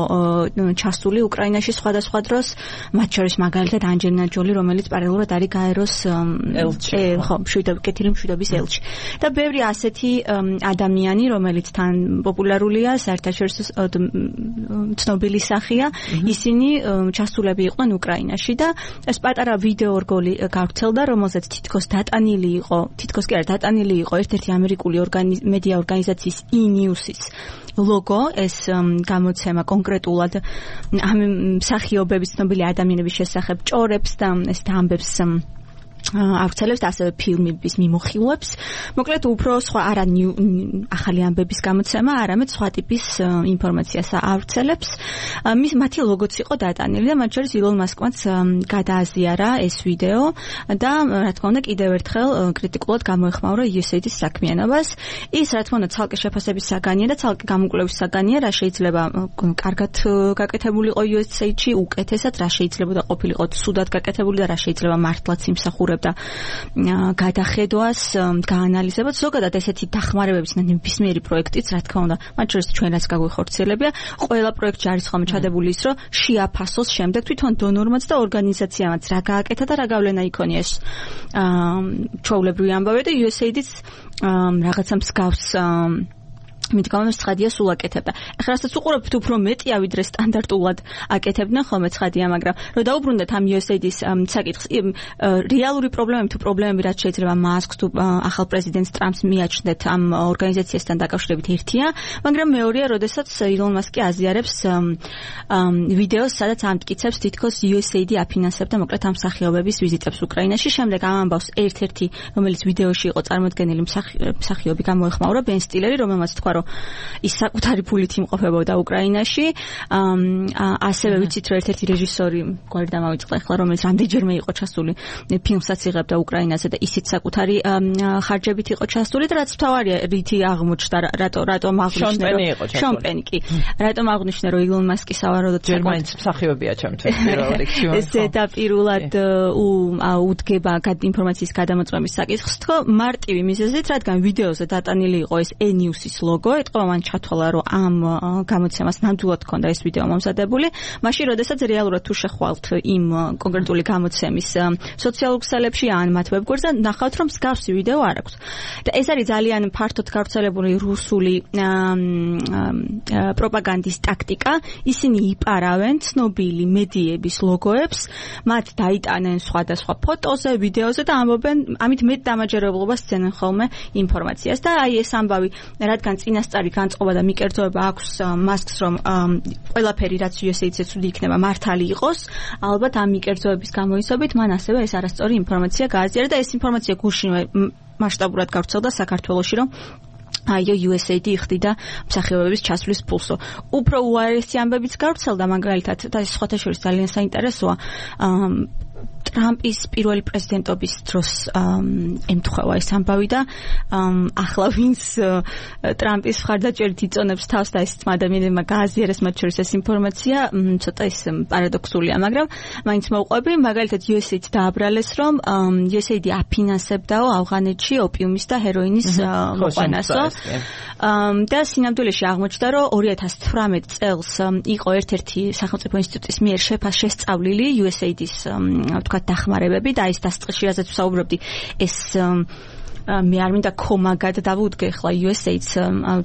ჩასული უკრაინაში სხვადასხვა დროს მათ შორის მაგალითად ანჯელინა ჯოლი რომელიც პარალელურად არის გაეროს ელჩი ხო მშვიდობის მშვიდობის ელჩი და ბევრი ასეთი ადამიანი რომელიც თან პოპულარულია საერთაშორისო ცნობილი სახეა ისინი ჩასულები იყვნენ უკრაინაში და ეს პატარა ვიდეო რგოლი გავრცელდა რომელზეც თითქოს დატანილი იყო თითქოს კი არა დატანილი იყო ერთ-ერთი ამერიკული მედია ორგანიზაციის ი ნიუსის ლოგო ეს გამოცემა კონკრეტულად ამ მსახიობების ცნობილი ადამიანების შესახებ ჭორებს და ეს ამბებს ავრცელებს ასევე ფილმების მიმოხილვებს. მოკლედ უფრო სხვა არა ახალი ამბების გამოცემა, არამედ სხვა ტიპის ინფორმაციას ავრცელებს. მის მათი ლოგოც იყო დატანილი და მათ შორის ილონ მასკმაც გადააზიარა ეს ვიდეო და რა თქმა უნდა კიდევ ერთხელ კრიტიკულად გამოეხმაურა იუ ეს ეი-ის საქმიანობას. ის რა თქმა უნდა ცალკე შეფასების საგანია და ცალკე გამოკვლევის საგანია, რა შეიძლება კარგად გაკეთებულიყო იუ ეს ეი-ში, უკეთესად რა შეიძლება და ყოფილიყო ცუდად გაკეთებული და რა შეიძლება მართლაც იმსახურებოდა და გადახედვას გაანალიზებოთ ზოგადად ესეთი დახმარებების ნებისმიერი პროექტიც რა თქმა უნდა მათ შორის ჩვენ რაც გაგვიხორციელებია ყველა პროექტში არის ხოლმე ჩადებული ის რომ შეაფასოს შემდეგ თვითონ დონორმაც და ორგანიზაციამაც რა გააკეთა და რა გავლენა იქონია ეს ჩვეულებრივი ამბავი და იუ ეს ეი-დის რაღაცა მსგავს მით გამომეს ცხადია სულ აკეთებდა. ეხლა რასაც უყურებთ უფრო მეტია ვიდრე სტანდარტულად აკეთებდნენ ხოლმე ცხადია, მაგრამ რომ დაუბრუნდეთ ამ იუ ეს ეი დის საკითხს, რეალური პრობლემები თუ პრობლემები რაც შეიძლება მასკს თუ ახალ პრეზიდენტს ტრამპს მიაჩნდეთ ამ ორგანიზაციასთან დაკავშირებით ერთია, მაგრამ მეორეა, როდესაც ილონ მასკი აზიარებს ვიდეოს, სადაც ამტკიცებს თითქოს იუ ეს ეი დი აფინანსებდა მოკლედ ამ მსახიობების ვიზიტებს უკრაინაში. შემდეგ ამ ამბავს ერთ-ერთი, რომელიც ვიდეოში იყო წარმოდგენილი მსახიობი გამოეხმაურა, ბენ სტილერი, რომელმაც თქვა, რომ ის საკუთარი ფულით იმყოფებოდა უკრაინაში. ასევე ვიცით, რომ ერთ-ერთი რეჟისორი, გვარი დამავიწყდა ახლა, რომელიც რამდენჯერმე იყო ჩასული ფილმსაც იღებდა უკრაინაზე და ისიც საკუთარი ხარჯებით იყო ჩასული და რაც თავარია, რითი აღმოჩნდა, რატო რატომ აღნიშნა, რომ შონ პენი კი, რატომ აღნიშნა, რომ ილონ მასკი სავარაუდოდ ჯერმაინც მსახიობია ჩემთვის პირველ რიგში. ზედაპირულად უდგება ინფორმაციის გადამოწმების საკითხს, თქო, მარტივი მიზეზით, რადგან ვიდეოზე დატანილი იყო ეს E-News-ის ლოგო, ეთყობა მან ჩათვალა, რომ ამ გამოცემას ნამდვილად ჰქონდა ეს ვიდეო მომზადებული, მაშინ როდესაც რეალურად თუ შეხვალთ იმ კონკრეტული გამოცემის სოციალურ ქსელებში ან მათ ვებგვერდზე, ნახავთ, რომ მსგავსი ვიდეო არ აქვს. და ეს არის ძალიან ფართოდ გავრცელებული რუსული პროპაგანდის ტაქტიკა. ისინი იპარავენ ცნობილი მედიების ლოგოებს, მათ დაიტანენ სხვადასხვა ფოტოზე, ვიდეოზე და ამბობენ, ამით მეტ დამაჯერებლობას სცენენ ხოლმე ინფორმაციას და აი ეს ამბავი, რადგან წინასწარი განწყობა და მიკერძოება აქვს მასკს, რომ ყველაფერი რაც იუ ეს ეი-ზე ცუდი იქნება მართალი იყოს, ალბათ ამ მიკერძოების გამოიცობით მან ასევე ეს არასწორი ინფორმაცია გააზიარა და ეს ინფორმაცია გუშინვე მასშტაბურად გავრცელდა საქართველოში, რომ აიო იუ ეს ეი დი იხდიდა მსახიობების ჩასვლის ფულსო. უფრო უარესი ამბებიც გავრცელდა, მაგალითად და ეს სხვათა შორის ძალიან საინტერესოა. ტრამპის პირველი პრეზიდენტობის დროს ემთხვევა ეს ამბავი და ახლა ვინც ტრამპის მხარდაჭერით იწონებს თავს და ეს ადამიანებმა გააზიარეს მათ შორის ეს ინფორმაცია, ცოტა ის პარადოქსულია, მაგრამ მაინც მოვყვები, მაგალითად იუ ეს ეი-ც დააბრალეს, რომ იუ ეს ეი დი აფინანსებდაო ავღანეთში ოპიუმის და ჰეროინის მოყვანასო. და სინამდვილეში აღმოჩნდა, რომ ორი ათას თვრამეტ წელს იყო ერთ-ერთი სახელმწიფო ინსტიტუტის მიერ შესწავლილი იუ ეს ეი დის თქვა დახმარებები და ის დასწრებში, რაზეც ვსაუბრობდი, ეს მე არ მინდა კომაგად დავუდგე ხლა იუ ეს ეი-ც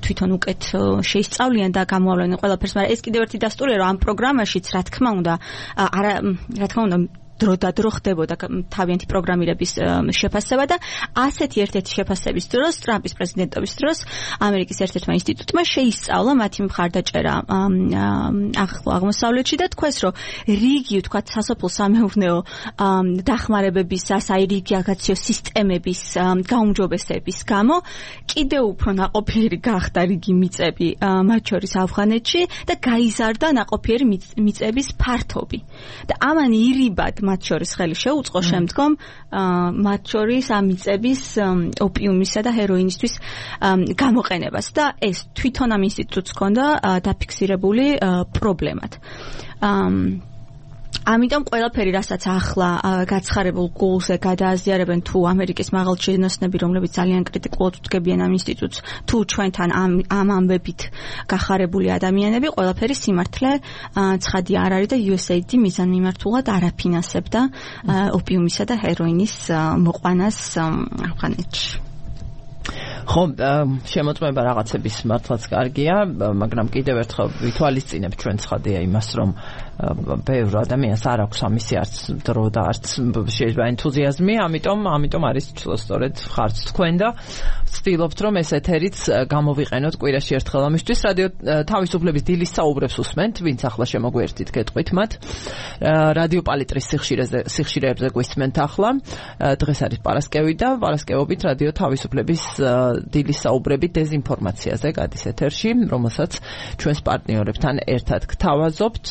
თვითონ უკეთ შეისწავლიან და გამოავლენენ ყველაფერს, მაგრამ ეს კიდევ ერთი დასტურია, რომ ამ პროგრამაშიც რა თქმა უნდა, არა, რა თქმა უნდა დრო და დრო ხდებოდა თავიანთი პროგრამირების შეფასება და ასეთი ერთ-ერთი შეფასების დროს, ტრამპის პრეზიდენტობის დროს, ამერიკის ერთ-ერთმა ინსტიტუტმა შეისწავლა მათი მხარდაჭერა ახლო აღმოსავლეთში და თქვეს, რომ რიგი, ვთქვათ, სასოფლო სამეურნეო დახმარებების, აი რიგი აგაციო სისტემების გაუმჯობესების გამო კიდევ უფრო ნაყოფიერი გახდა რიგი მიწები მათ შორის ავღანეთში და გაიზარდა ნაყოფიერი მიწების ფართობი. და ამან ირიბად მათ შორის ხელი შეუწყო შემდგომ მათ შორის ამ მიწების ოპიუმისა და ჰეროინისთვის გამოყენებას და ეს თვითონ ამ ინსტიტუტს ჰქონდა დაფიქსირებული პრობლემად. ამიტომ ყველაფერი, რასაც ახლა გაცხარებულ გულზე გადააზიარებენ თუ ამერიკის მაღალჩინოსნები, რომლებიც ძალიან კრიტიკულად უდგებიან ამ ინსტიტუტს, თუ ჩვენთან ამ ამ ამბებით გახარებული ადამიანები, ყველაფერი სიმართლე ცხადია არ არის და იუ ეს ეი დი მიზანმიმართულად არ აფინანსებდა ოპიუმისა და ჰეროინის მოყვანას ავღანეთში. ხო, შემოწმება რაღაცების მართლაც კარგია, მაგრამ კიდევ ერთხელ ვითვალისწინებ ჩვენ ცხადია იმას, რომ ბევრ ადამიანს არ აქვს ამისი არც დრო და არც შეიძლება ენთუზიაზმი, ამიტომ ამიტომ არის სწორედ ხარც თქვენ და ვცდილობთ, რომ ეს ეთერიც გამოვიყენოთ კვირაში ერთხელ ამისთვის. რადიო თავისუფლების დილის საუბრებს უსმენთ, ვინც ახლა შემოგვიერთით გეტყვით მათ. რადიო პალიტრის სიხშირეზე სიხშირეებზე გვისმენთ ახლა. დღეს არის პარასკევი და პარასკევობით რადიო თავისუფლების დილის საუბრები დეზინფორმაციაზე გადის ეთერში, რომელსაც ჩვენს პარტნიორებთან ერთად გთავაზობთ.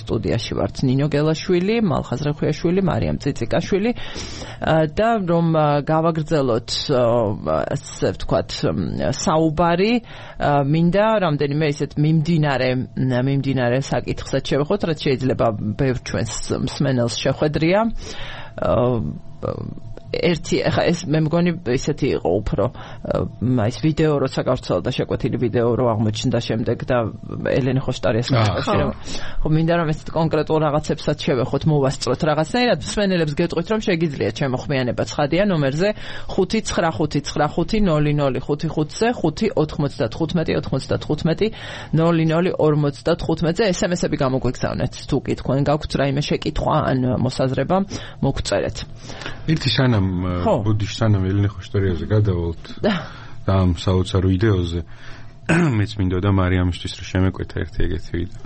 სტუდიაში ვართ ნინო გელაშვილი, მალხაზრახვიაშვილი, მარიამ წიწიკაშვილი და რომ გავაგრძელოთ ასე ვთქვათ საუბარი, მინდა რამდენიმე ისეთ მიმდინარე მიმდინარე საკითხსაც შევეხოთ, რაც შეიძლება ბევრ ჩვენს მსმენელს შეხვედრია. ერთი ახლა ეს მე მგონი ისეთი იყო უფრო ის ვიდეო როცა გავრცელდა შეკვეთილი ვიდეო რო აღმოჩნდა შემდეგ და ელენე ხოშტარიას მოკავშირე ხო მინდა რომ ეს კონკრეტულ რაღაცებსაც შევეხოთ მოვასწროთ რაღაცნაირად მსმენელებს გეტყვით რომ შეგიძლიათ შემოხმიანება ცხადია ნომერზე ხუთი ცხრა ხუთი ცხრა ხუთი ნული ნული ხუთი ხუთზე ხუთი ოთხმოცდათხუთმეტი ოცდათხუთმეტი ნული ნული ორმოცდათხუთმეტზე ესემესები გამოგვიგზავნეთ თუ კი თქვენ გაქვთ რაიმე შეკითხვა ან მოსაზრება მოგწერეთ ერთი სანამ ბოდიშ სანამ ელენე ხოშტარიაზე გადავალთ და ამ საოცარ ვიდეოზე მეც მინდოდა მარიამისთვის რომ შემეკვეთა ერთი ეგეთი ვიდეო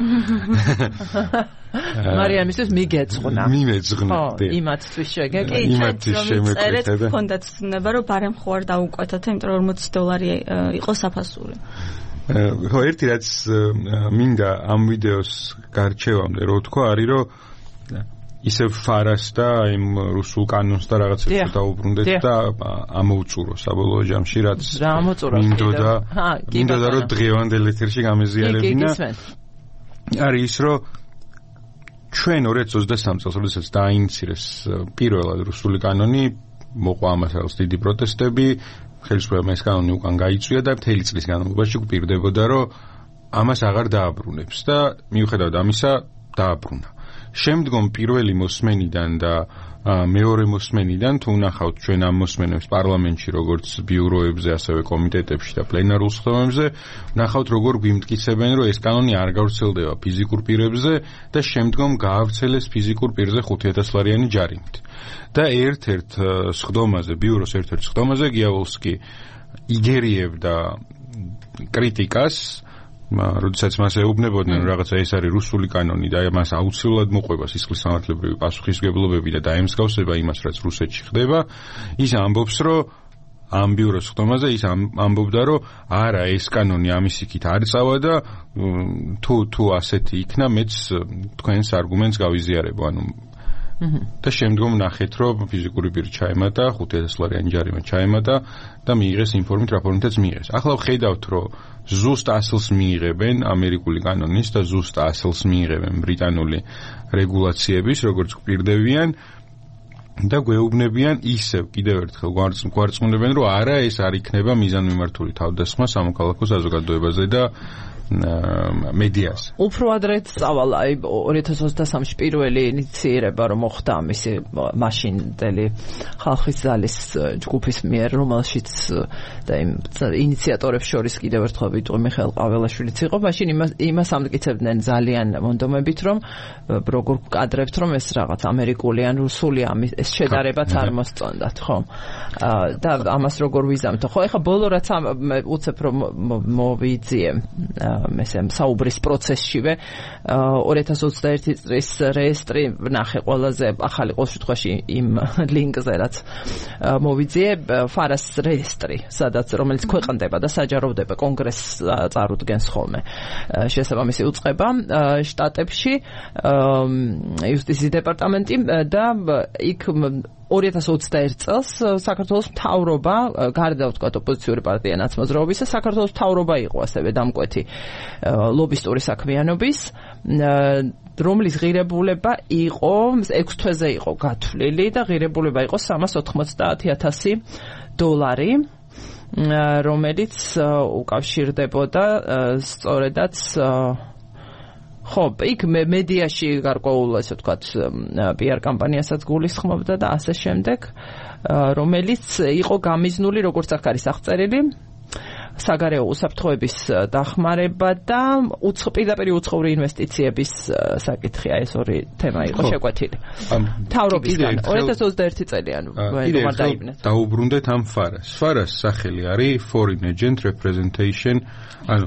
მარიამისთვის მიგეძღვნა მიმეძღვნა იმათთვის შეგეკი იმათთვის შემეკვეთა და ხონდაც ცნება რომ ბარემ ხო არ დაუკვეთოთ იმიტომ რომ ორმოცი დოლარი იყო საფასური ხო ერთი რაც მინდა ამ ვიდეოს გარჩევამდე რო თქვა არის რომ ისევ ფარას და იმ რუსულ კანონს და რაღაცებს დაუბრუნდეთ და ამოუწურო საბოლოო ჯამში რაც მინდოდა მინდოდა რომ დღევანდელ ეთერში გამეზიარებინა არის ის რომ ჩვენ ორ ათას ოცდასამი წელს როდესაც დაინიცირეს პირველად რუსული კანონი მოყვა ამას რაღაც დიდი პროტესტები ხელისუფლებამ ეს კანონი უკან გაიწვია და მთელი წლის განმავლობაში გვპირდებოდა რომ ამას აღარ დააბრუნებს და მიუხედავად ამისა დააბრუნა შემდგომ პირველი მოსმენიდან და მეორე მოსმენიდან თუ ნახავთ ჩვენ ამ მოსმენებს პარლამენტში როგორც ბიუროებზე ასევე კომიტეტებში და პლენარულ სხდომებზე ნახავთ როგორ გვიმტკიცებენ რომ ეს კანონი არ გავრცელდება ფიზიკურ პირებზე და შემდგომ გაავრცელეს ფიზიკურ პირზე ხუთი ათას ლარიანი ჯარიმით და ერთ-ერთ სხდომაზე ბიუროს ერთ-ერთ სხდომაზე გიავალსკი იგერიებდა კრიტიკას როდესაც მას ეუბნებოდნენ რაღაცა ეს არის რუსული კანონი და მას აუცილებლად მოყვება სისხლის სამართლებრივი პასუხისმგებლობები და დაემსგავსება იმას რაც რუსეთში ხდება ის ამბობს რომ ამ ბიუროს სხდომაზე ის ამბობდა რომ არა ეს კანონი ამის იქით არ წავა და თუ თუ ასეთი იქნა მეც თქვენს არგუმენტს გავიზიარებო ანუ და შემდგომ ნახეთ რომ ფიზიკური პირი ჩაემატა ხუთი ათას ლარიანი ჯარიმა ჩაემატა და მიიღეს იმ ფორმით რა ფორმითაც მიიღეს ახლა ვხედავთ რომ ზუსტ ასლს მიიღებენ ამერიკული კანონის და ზუსტ ასლს მიიღებენ ბრიტანული რეგულაციების როგორც გვპირდებიან და გვეუბნებიან ისევ კიდევ ერთხელ გვარწმუნებენ რომ არა ეს არ იქნება მიზანმიმართული თავდასხმა სამოქალაქო საზოგადოებაზე და მედიას. უფრო ადრეთ წავალ აი ორი ათას ოცდასამში პირველი ინიციირება რომ მოხდა ამისი მაშინდელი ხალხის ძალის ჯგუფის მიერ რომელშიც და იმ ინიციატორებს შორის კიდევ ერთხელ ვიტყვი მიხეილ ყაველაშვილიც იყო მაშინ იმას იმას ამტკიცებდნენ ძალიან მონდომებით რომ როგორ ვკადრებთ რომ ეს რაღაც ამერიკული ან რუსული ამის ეს შედარებაც არ მოსწონდათ ხო და ამას როგორ ვიზამთო ხო ეხლა ბოლო რაც უცებ რომ მოვიძიე მესემ საუბრის პროცესშივე ორი ათას ოცდაერთი წლის რეესტრი ნახე ყველაზე ახალი ყოველ შემთხვევაში იმ ლინკზე რაც მოვიძიე ფარას რეესტრი სადაც რომელიც ქვეყნდება და საჯაროვდება კონგრესს წარუდგენს ხოლმე შესაბამისი უწყება შტატებში იუსტიციის დეპარტამენტი და იქ ორი ათას ოცდაერთ წელს საქართველოს მთავრობა გარდა ვთქვათ ოპოზიციური პარტია ნაცმოძრაობისა საქართველოს მთავრობა იყო ასევე დამკვეთი ლობისტური საქმიანობის რომლის ღირებულება იყო ექვს თვეზე იყო გათვლილი და ღირებულება იყო სამას ოთხმოცდაათი ათასი დოლარი რომელიც უკავშირდებოდა სწორედაც ხო, იქ მედიაში გარკვეულ ასე ვთქვათ პიარ კამპანიასაც გულისხმობდა და ასე შემდეგ, რომელიც იყო გამიზნული როგორც აქ არის აღწერილი საგარეო უსაფრთხოების დახმარება და პირდაპირ უცხოური ინვესტიციების საკითხია ეს ორი თემა იყო შეკვეთილი. მთავრობისგან ორი ათას ოცდაერთი წელი ანუ რომარ დაიბნეთ. დაუბრუნდეთ ამ ფარას. ფარას სახელი არის Foreign Agent Representation, ანუ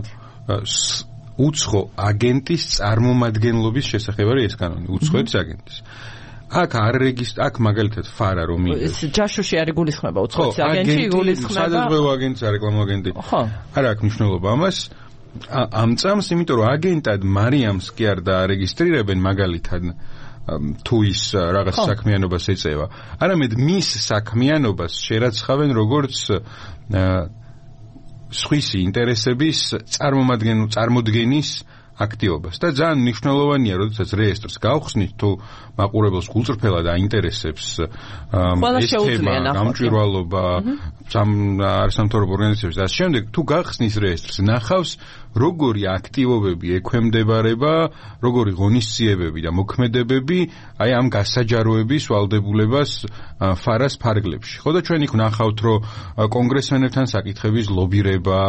უცხო აგენტის წარმომადგენლობის შესახებ არის ეს კანონი, უცხოეთის აგენტის. აქ არ რეგისტრ აქ მაგალითად ფარა რომ ის ჯაშუში არის გულისხმება უცხოეთის აგენტი გულისხმება სადაზღვევო აგენტი რეკლამო აგენტი არა აქვს მნიშვნელობა ამას ამ წამს იმიტომ რომ აგენტად მარიამს კი არ დაარეგისტრირებენ მაგალითად თუ ის რაღაც საქმიანობას ეწევა არამედ მის საქმიანობას შერაცხავენ როგორც სხვისი ინტერესების წარმომადგენლ წარმოდგენის აქტივობას და ძალიან მნიშვნელოვანია, როდესაც რეესტრს გავხსნით, თუ მაყურებელს გულწრფელად აინტერესებს ეს თემა, გამჭვირვალობა, არასამთავრობო ორგანიზაციების და შემდეგ თუ გახსნის რეესტრს, ნახავს როგორი აქტივობები ექვემდებარება, როგორი ღონისძიებები და მოქმედებები აი ამ გასაჯაროების ვალდებულებას ფარას ფარგლებში. ხო და ჩვენ იქ ვნახავთ, რომ კონგრესმენებთან საკითხების ლობირება,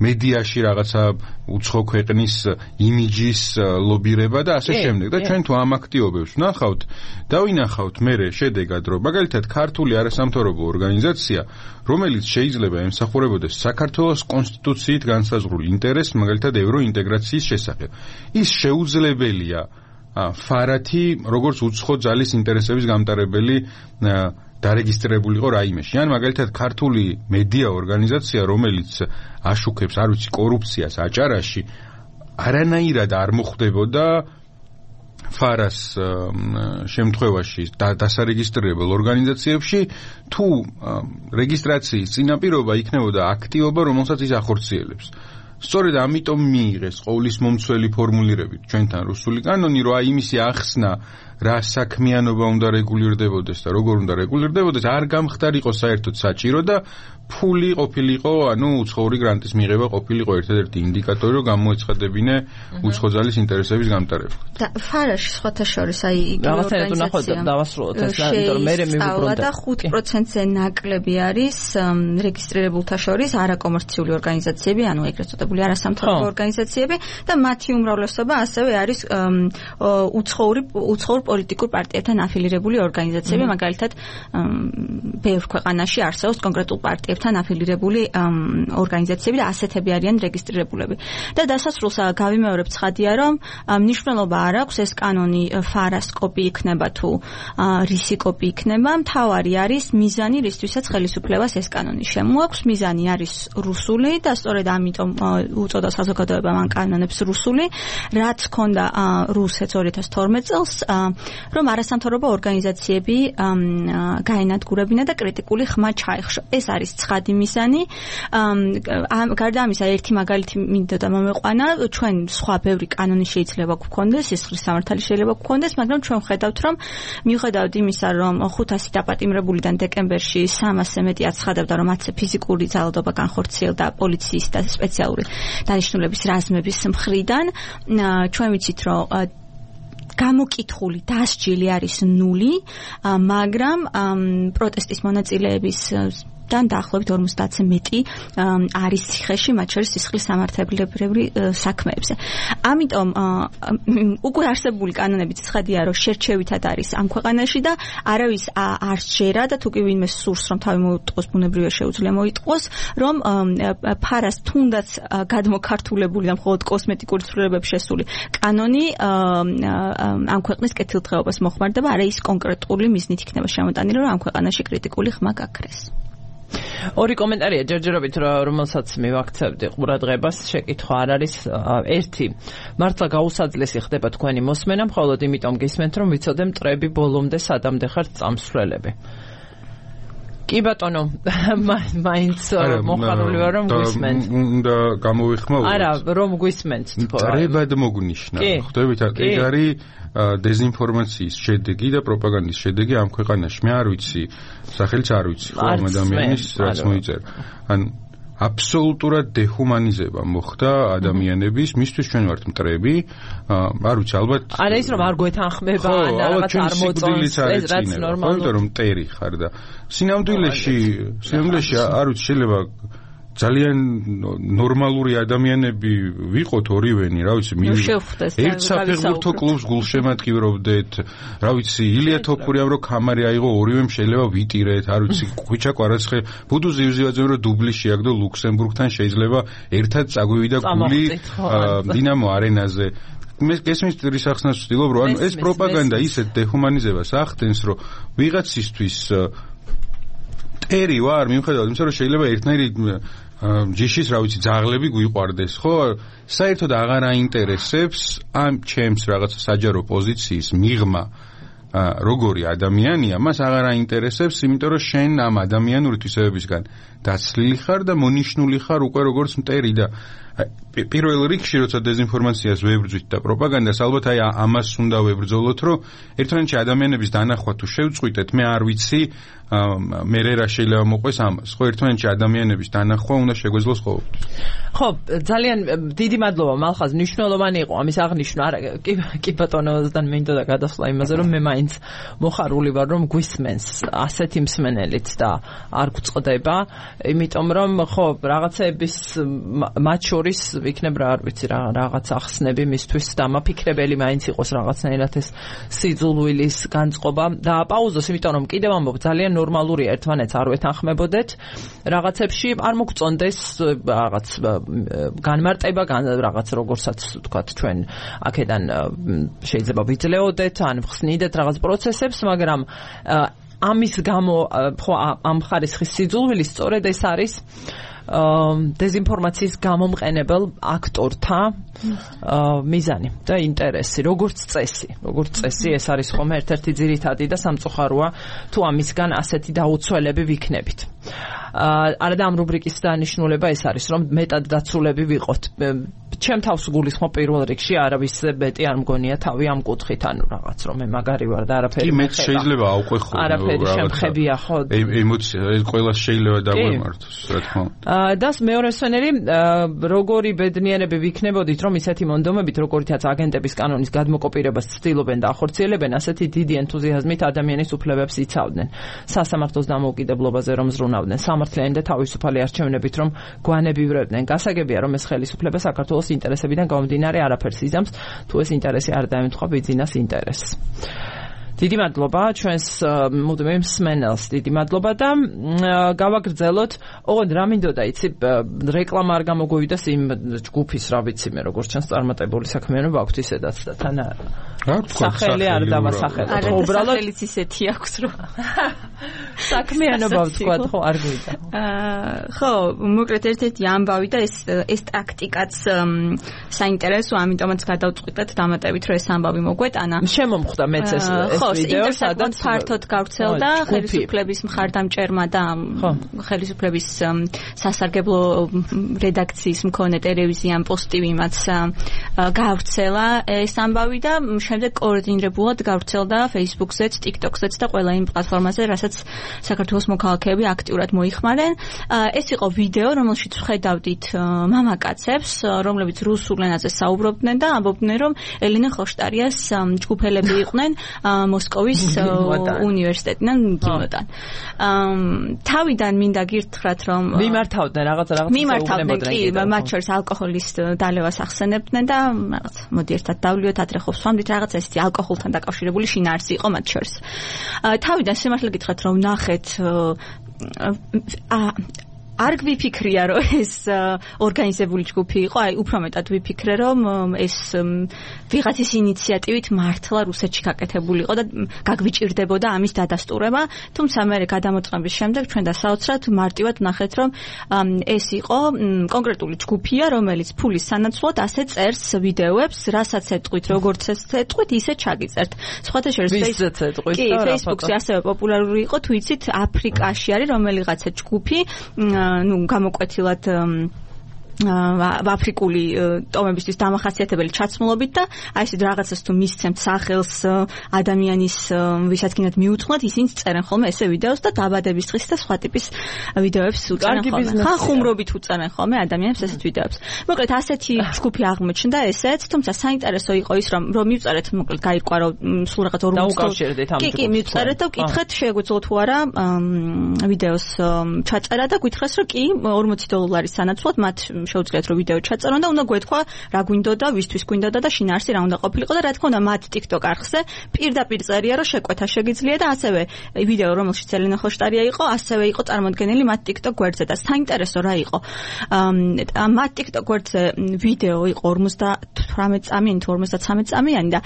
მედიაში რაღაცა უცხო ქვეყნის იმიჯის ლობირება და ასე შემდეგ. და ჩვენ თუ ამ აქტივობებს ვნახავთ, დავინახავთ მერე შედეგად, რომ მაგალითად ქართული არასამთავრობო ორგანიზაცია, რომელიც შეიძლება ემსახურებოდეს საქართველოს კონსტიტუციით განსაზღვრულ ინტერესს, მაგალითად ევროინტეგრაციის შესახებ. ის შეუძლებელია ფარათი, როგორც უცხო ძალის ინტერესების გამტარებელი დარეგისტრირებულიყო რაიმეში. ან მაგალითად ქართული მედია ორგანიზაცია, რომელიც აშუქებს, არ ვიცი, კორუფციას აჭარაში, არანაირად არ მოხდებოდა ფარას შემთხვევაში დასარეგისტრირებელ ორგანიზაციებში, თუ რეგისტრაციის წინაპირობა იქნებოდა აქტივობა, რომელსაც ის ახორციელებს. სწორედ ამიტომ მიიღეს ყოვლისმომცველი ფორმულირებით ჩვენთან რუსული კანონი, რომ აი იმისი ახსნა რა საქმიანობა უნდა რეგულირდებოდეს და როგორ უნდა რეგულირდებოდეს, არ გამხდარიყო საერთოდ საჭირო და ფული ყოფილიყო, ანუ უცხოური გრანტის მიღება ყოფილიყო ერთადერთი ინდიკატორი, რომ გამოეცხადებინე უცხო ძალის ინტერესების გამტარება. და ფარაში სხვათა შორის აი იგივე ორგანიზაცია დავასრულოთ ეს, იმიტომ რომ მე მივიბრუნდა და ხუთ პროცენტზე ნაკლები არის რეგისტრირებულთა შორის არაკომერციული ორგანიზაციები, ანუ ეგრეთ წოდებული არასამთავრობო ორგანიზაციები და მათი უმრავლესობა ასევე არის უცხოური უცხოურ პოლიტიკურ პარტიებთან აფილირებული ორგანიზაციები, მაგალითად ბევრ ქვეყანაში არსებობს კონკრეტულ პარტიებთან აფილირებული ორგანიზაციები და ასეთები არიან რეგისტრირებულები. და დასასრულს გავიმეორებ ცხადია, რომ მნიშვნელობა არ აქვს ეს კანონი ფარას კოპი იქნება თუ რისი კოპი იქნება, მთავარი არის მიზანი, რისთვისაც ხელისუფლებას ეს კანონი შემოაქვს. მიზანი არის რუსული და სწორედ ამიტომ უწოდა საზოგადოებამ ამ კანონებს რუსული, რაც ჰქონდა რუსეთს ორი ათას თორმეტ წელს, რომ არასამთავრობო ორგანიზაციები გაენადგურებინა და კრიტიკული ხმა ჩაეხშო. ეს არის ცხადი მიზანი. გარდა ამისა, ერთი მაგალითი მინდოდა და მომეყვანა, ჩვენ სხვა ბევრი კანონი შეიძლება გვქონდეს, სისხლის სამართალი შეიძლება გვქონდეს, მაგრამ ჩვენ ვხედავთ, რომ მიუხედავად იმისა, რომ ხუთასი დაპატიმრებულიდან დეკემბერში სამასზე მეტი აცხადებდა, რომ მათზე ფიზიკური ძალადობა განხორციელდა პოლიციის და სპეციალური დანიშნულების რაზმების მხრიდან, ჩვენ ვიცით, რომ გამოკითხული დასჯილი არის ნული, მაგრამ პროტესტის მონაწილეების და დაახლოებით ორმოცდაათზე მეტი არის ციხეში, მათ შორის სისხლის სამართლებრივი საქმეებზე. ამიტომ უკვე არსებული კანონებით ცხადია, რომ შერჩევითად არის ამ ქვეყანაში და არავის არ შეერა და თუ კი ვინმე სურს, რომ თავი მოუტყოს, ბუნებრივია შეუძლია მოიტყოს, რომ ფარას თუნდაც გადმოქართულებული და მხოლოდ კოსმეტიკური ცვლილებებს შესული კანონი ამ ქვეყნის კეთილდღეობას მოხმარდება, არა ის კონკრეტული მიზნით იქნება შემოტანილი, რომ ამ ქვეყანაში კრიტიკული ხმა გაქრეს. ორი კომენტარია ჯერჯერობით, რომელსაც მივაქცევდი ყურადღებას, შეკითხვა არ არის. ერთი, მართლა გაუსაძლესი ხდება თქვენი მოსმენა, მხოლოდ იმიტომ გისმენთ, რომ ვიცოდე მტრები ბოლომდე სადამდე ხართ წამსვლელები. კი ბატონო, მაინც მოხარული ვარ, რომ გვისმენთ. უნდა გამოვიხმაუროთ. არა, რომ გვისმენთ თქო. მტრებად მოგნიშნა. ხვდებით, ეგ არის დეზინფორმაციის შედეგი და პროპაგანდის შედეგი ამ ქვეყანაში. მე არ ვიცი, სახელიც არ ვიცი, ხო ამ ადამიანის რაც მოიწერა. ან აბსოლუტურად დეჰუმანიზება მოხდა ადამიანების, მისთვის ჩვენ ვართ მტრები, არ ვიცი, ალბათ არა ის რომ არ გვეთანხმება, ან რაღაც არ მოწონს, ეს რაც ნორმალურია. იმიტომ რომ მტერი ხარ და სინამდვილეში, სინამდვილეში არ ვიცი, შეიძლება ძალიან ნორმალური ადამიანები ვიყოთ ორივენი, რა ვიცი, ერთ საფეხბურთო კლუბს გულშემატკივრობდეთ, რა ვიცი, ილია თოფურიამ რო ქამარი აიღო, ორივემ შეიძლება ვიტირეთ, არ ვიცი, ხვიჩა კვარაცხე, ბუდუ ზივზივაძემ რო დუბლი შეაგდო ლუქსემბურგთან, შეიძლება ერთად წაგვივიდა გული დინამო არენაზე. მე გესმის რის ახსნას ვცდილობ, რომ ანუ ეს პროპაგანდა ისეთ დეჰუმანიზებას ახდენს, რომ ვიღაცისთვის ერი ვარ, მიუხედავად იმისა, რომ შეიძლება ერთნაირი ჯიშის, რა ვიცი, ძაღლები გვიყვარდეს, ხო? საერთოდ აღარ აინტერესებს ამ ჩემს რაღაც საჯარო პოზიციის მიღმა როგორი ადამიანია, მას აღარ აინტერესებს, იმიტომ რომ შენ ამ ადამიანური თვისებებისგან დაცლილი ხარ და მონიშნული ხარ უკვე როგორც მტერი და პირველ რიგში როცა დეზინფორმაციას ვებრძვით და პროპაგანდას, ალბათ აი ამას უნდა ვებრძოლოთ, რომ ერთმანეთში ადამიანების დანახვა თუ შევწყვიტეთ, მე არ ვიცი მე რა შეიძლება მოყვეს ამას. ხო, ერთმანეთში ადამიანების დანახვა უნდა შეგვეძლოს ყოველთვის. ხო, ძალიან დიდი მადლობა მალხაზ, მნიშვნელოვანი იყო ამის აღნიშვნა. არა, კი კი ბატონოსთან მინდოდა გადასვლა იმაზე, რომ მე მაინც მოხარული ვარ, რომ გვისმენს ასეთი მსმენელიც და არ გვწყდება, იმიტომ რომ ხო, რაღაცეების მათ შორის იქნებ რა არ ვიცი რა რაღაც ახსნები მისთვის დამაფიქრებელი მაინც იყოს რაღაცნაირად ეს სიძულვილის განწყობა და პაუზოს, იმიტომ რომ კიდევ ამბობ ძალიან ნორმალურია ერთმანეთს არ ვეთანხმებოდეთ რაღაცებში, არ მოგწონდეს რაღაც განმარტება, რაღაც როგორცაც ვთქვათ ჩვენ აქედან შეიძლება ვიძლეოდეთ ან ვხსნიდეთ რაღაც პროცესებს, მაგრამ ამის გამო ხო ამ ხარისხის სიძულვილი სწორედ ეს არის დეზინფორმაციის გამომყენებელ აქტორთა მიზანი და ინტერესი, როგორც წესი, როგორც წესი ეს არის ხომ ერთ-ერთი ძირითადი და სამწუხაროა თუ ამისგან ასეთი დაუცველები ვიქნებით. არა და ამ რუბრიკის დანიშნულება ეს არის, რომ მეტად დაცულები ვიყოთ. ჩემ თავს გულისხმობ პირველ რიგში არავის მეტი არ მგონია თავი ამ კუთხით, ანუ რაღაც რომ მე მაგარი ვარ და არაფერი კი მეც შეიძლება ავყვე ხო არაფერი შემხებია ხო ემოცია ეს ყველა შეიძლება დაგვემართოს რა თქმა უნდა. და მეორე სვენერი როგორი ბედნიერები ვიქნებოდით რომ ისეთი მონდომებით როგორიცაც აგენტების კანონის გადმოკოპირებას ცდილობენ და ახორციელებენ, ასეთი დიდი ენთუზიაზმით ადამიანის უფლებებს იცავდნენ, სასამართლოს დამოუკიდებლობაზე რომ ზრუნავდნენ, სამართლიანი და თავისუფალი არჩევნებით რომ გვანებივრებდნენ. გასაგებია რომ ეს ხელისუფლება საქართველოს ინტერესებიდან გამომდინარე არაფერს იზამს, თუ ეს ინტერესი არ დაემთხვა ბიძინას ინტერესს. დიდი მადლობა ჩვენს მუდმივ მსმენელს, დიდი მადლობა და გავაგრძელოთ. ოღონდ რა მინდოდა იცი, რეკლამა არ გამოგვივიდეს იმ ჯგუფის, რა ვიცი მე როგორც ჩანს წარმატებული საქმიანობა აქვს ისედაც და თან სახელი არ დავასახელოთ. არა, სახელიც ისეთი აქვს რომ საქმიანობა ვთქვათ, ხო არ გვიდა. ხო, მოკლედ ერთ-ერთი ამბავი და ეს ეს ტაქტიკაც საინტერესო, ამიტომაც გადავწყვიტეთ დამატებით რომ ეს ამბავი მოგვეტანა. შემომხვდა მეც ეს ვიდეო, სადაც ფართოდ გავრცელდა ხელისუფლების მხარდამჭერმა და ხელისუფლების სასარგებლო რედაქციის მქონე ტელევიზიამ პოსტივიმაც გავრცელა ეს ამბავი და შემდეგ კოორდინირებულად გავრცელდა Facebook-ზეც, TikTok-ზეც და ყველა იმ პლატფორმაზე, რასაც საქართველოს მოქალაქეები აქტიურად მოიხმარენ. ეს იყო ვიდეო, რომელშიც ვხედავდით მამაკაცებს, რომლებიც რუსულ ენაზე საუბრობდნენ და ამბობდნენ, რომ ელენე ხოშტარიას ჯგუფელები იყვნენ მოსკოვის უნივერსიტეტიდან გიმოდან. თავიდან მინდა გირთხრათ, რომ მიმართავდნენ რაღაც რაღაც მიმართავდნენ კი, მათ შორის ალკოჰოლის დალევას ახსენებდნენ და რაღაც მოდი ერთად დავლიოთ, ადრე ხობს ვამდით რაღაც ესეთი ალკოჰოლთან დაკავშირებული შინაარსი იყო მათ შორის. თავიდან სიმართლე გითხრათ, რომ ნახეთ არ გვიფიქრია რომ ეს ორგანიზებული ჯგუფი იყო, აი უფრო მეტად ვიფიქრე რომ ეს ვიღაცის ინიციატივით მართლა რუსეთში გაკეთებული იყო და გაგვიჭირდებოდა ამის დადასტურება, თუმცა მე გადამოწყების შემდეგ ჩვენ დასაოცრად მარტივად ნახეთ რომ ეს იყო კონკრეტული ჯგუფია, რომელიც ფულის სანაცვლოდ ასე წერს ვიდეოებს, რასაც ეთყვით, როგორც ეს ეთყვით, ისე ჩაგიწერთ. სხვათა შორის Facebook-ზე ასევე პოპულარული იყო, თუ იცით, აფრიკაში არის რომელიღაცა ჯგუფი, ну, გამოკვეთილად აფრიკული ტომებისთვის დამახასიათებელი ჩაცმულობით და აი ეს რაღაცას თუ მისცემთ სახელს ადამიანის ვისაც გინდათ მიუძღვნათ, ისინი წერენ ხოლმე ესე ვიდეოს და დაბადების დღის და სხვა ტიპის ვიდეოებს უწევენ ხოლმე. ხანხუმრობით უწევენ ხოლმე ადამიანებს ესეთ ვიდეოებს. მოკლედ ასეთი ჯგუფი აღმოჩნდა ესეც, თუმცა საინტერესო იყო ის რომ რომ მივწერეთ, მოკლედ გაირკვა რომ სულ რაღაც ორმოცდაუκავშირდით ამ ჯგუფს. კი, კი, მივწერეთ და ვკითხეთ შეგვეძლო თუ არა ვიდეოს ჩაწერა და გითხრეს რომ კი ორმოცი დოლარის სანაცვლოდ მათ შეუძლიათ რომ ვიდეო ჩაწერონ და უნდა გვეთქვა რა გვინდოდა, ვისთვის გვინდოდა და შინაარსი რა უნდა ყოფილიყო და რა თქმა უნდა მათ TikTok არხზე პირდაპირ წერია რომ შეკვეთა შეგიძლია და ასევე ვიდეო რომელშიც ელენე ხოშტარია იყო, ასევე იყო წარმოდგენილი მათ TikTok გვერდზე და საინტერესო რა იყო. მათ TikTok გვერდზე ვიდეო იყო ორმოცდათხუთმეტ თვრამეტ წამიანი თუ ორმოცდათსამეტ წამიანი და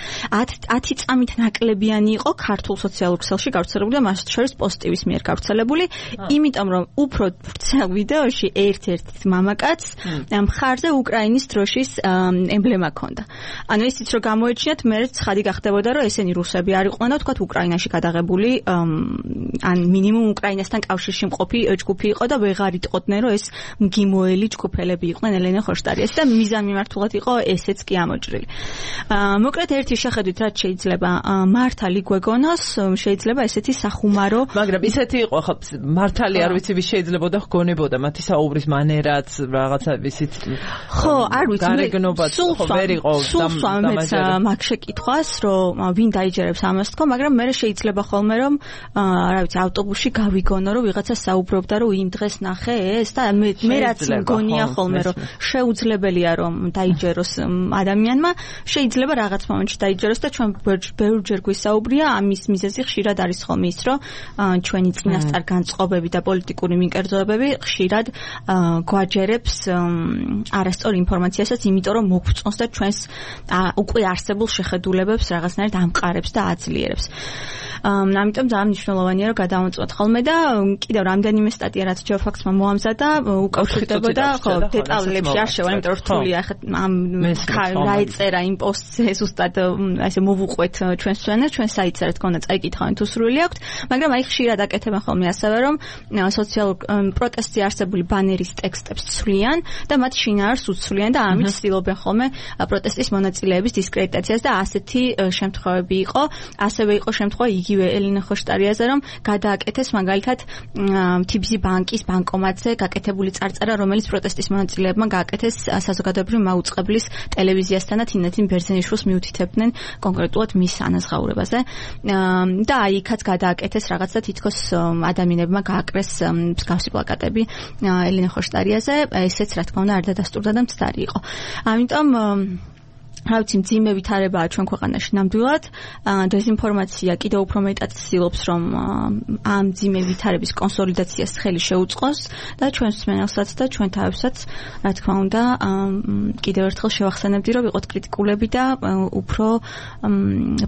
ათი წამით ნაკლებიანი იყო ქართულ სოციალურ ქსელში გავრცელებული და მას შორის პოზიტივის მიერ გავრცელებული, იმიტომ რომ უფრო ვრცელ ვიდეოში ერთ-ერთ მამაკაცს მხარზე უკრაინის დროშის ემბლემა ჰქონდა. ანუ ისიც რომ გამოეჩინათ, მე ცხადი გახდებოდა რომ ესენი რუსები არ იყვნენ და თქვათ უკრაინაში გადაღებული ან მინიმუმ უკრაინასთან კავშირში მყოფი ჯგუფი იყო და ვეღარ იტყოდნენ რომ ეს მგიმოელი ჯგუფელები იყვნენ ელენე ხოშტარიას და მიზანმიმართულად იყო ესეც კი ამოჭრილი. მოკლედ ერთი შეხედვით რაც შეიძლება მართალი გვეგონოს, შეიძლება ესეთი სახუმარო, მაგრამ ისეთი იყო ხო მართალი არ ვიცი ვის შეიძლებოდა გონებოდა მათი საუბრის მანერაც რაღაცა ისიც ხო არ ვიცი გარეგნობა ხო ვერ იყო დამაჯერებელი მაგ შეკითხვას რომ ვინ დაიჯერებს ამას თქო, მაგრამ მე შეიძლება ხოლმე რომ რა ვიცი ავტობუსში გავიგონო რომ ვიღაცა საუბრობდა რომ იმ დღეს ნახე ეს და მე მე რაც მგონია ხოლმე რომ შეუძლებელია რომ დაიჯეროს ადამიანმა, შეიძლება რაღაც მომენტში დაიჯეროს და ჩვენ ბევრჯერ გვისაუბრია ამის მიზეზი ხშირად არის ხოლმე ის რომ ჩვენი წინასწარ განწყობები და პოლიტიკური მიკერძოებები ხშირად გვაჯერებს არასწორ ინფორმაციასაც, იმიტომ რომ მოგწონს და ჩვენს უკვე არსებულ შეხედულებებს რაღაცნაირად ამყარებს და აძლიერებს. ამიტომ ძალიან მნიშვნელოვანია რომ გადავამოწმოთ ხოლმე და კიდევ რამდენიმე სტატია რაც ჯეოფაქსმა მოამზადა უკავშირდებოდა ხო დეტალებში არ შევა, იმიტომ რომ რთულია ახლა ამ რა ეწერა იმ პოსტზე ზუსტად ასე მოვუყვეთ ჩვენს ჩვენს ჩვენ საიტზე რა თქმა უნდა წაიკითხავენ თუ სრული აქვთ, მაგრამ აი ხშირად აკეთებენ ხოლმე ასევე რომ სოციალურ პროტესტზე არსებული ბანერის ტექსტებს ცვლიან და მათ შინაარს უცვლიან და ამით ცდილობენ ხოლმე პროტესტის მონაწილეების დისკრედიტაციას და ასეთი შემთხვევები იყო. ასევე იყო შემთხვევა იგივე ელენე ხოშტარიაზე რომ გადააკეთეს მაგალითად თი ბი სი ბანკის ბანკომატზე გაკეთებული წარწერა, რომელიც პროტესტის მონაწილეებმა გააკეთეს საზოგადოებრივი მაუწყებლის ტელევიზიასთან და თინათინ ბერძენიშვილს მიუთითებდნენ კონკრეტულად მის ანაზღაურებაზე და აი იქაც გადააკეთეს რაღაც და თითქოს ადამიანებმა გააკრეს მსგავსი პლაკატები ელენე ხოშტარიაზე, ესეც რა თქმა უნდა არ დადასტურდა და მცდარი იყო. ამიტომ რა ვიცი მძიმე ვითარებაა ჩვენ ქვეყანაში ნამდვილად, დეზინფორმაცია კიდევ უფრო მეტად ცდილობს რომ ამ მძიმე ვითარების კონსოლიდაციას ხელი შეუწყოს და ჩვენს მსმენელსაც და ჩვენ თავებსაც რა თქმა უნდა კიდევ ერთხელ შევახსენებდი რომ ვიყოთ კრიტიკულები და უფრო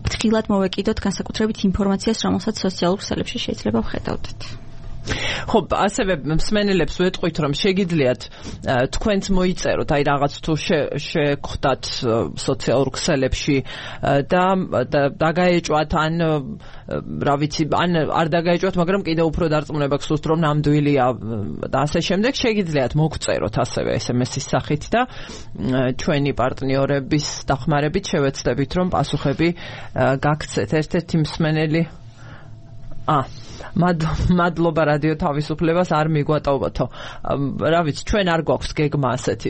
ფრთხილად მოვეკიდოთ განსაკუთრებით ინფორმაციას, რომელსაც სოციალურ ქსელებში შეიძლება ვხედავდეთ. ხო, ასევე მსმენელებს ვეტყვით რომ შეგიძლიათ თქვენც მოიწეროთ, აი რაღაც თუ შეგხვდათ სოციალურ ქსელებში და დაგაეჭვათ ან რა ვიცი, ან არ დაგაეჭვათ, მაგრამ კიდევ უფრო დარწმუნება გსურთ რომ ნამდვილია და ასე შემდეგ, შეგიძლიათ მოგწეროთ ასევე ეს ემ ესის სახით და ჩვენი პარტნიორების დახმარებით შევეცდებით რომ პასუხები გაგცეთ. ერთ-ერთი მსმენელი ა მადლობა რადიო თავისუფლებას არ მიგვატოვოთო. რა ვიცი, ჩვენ არ გვაქვს გეგმა ასეთი.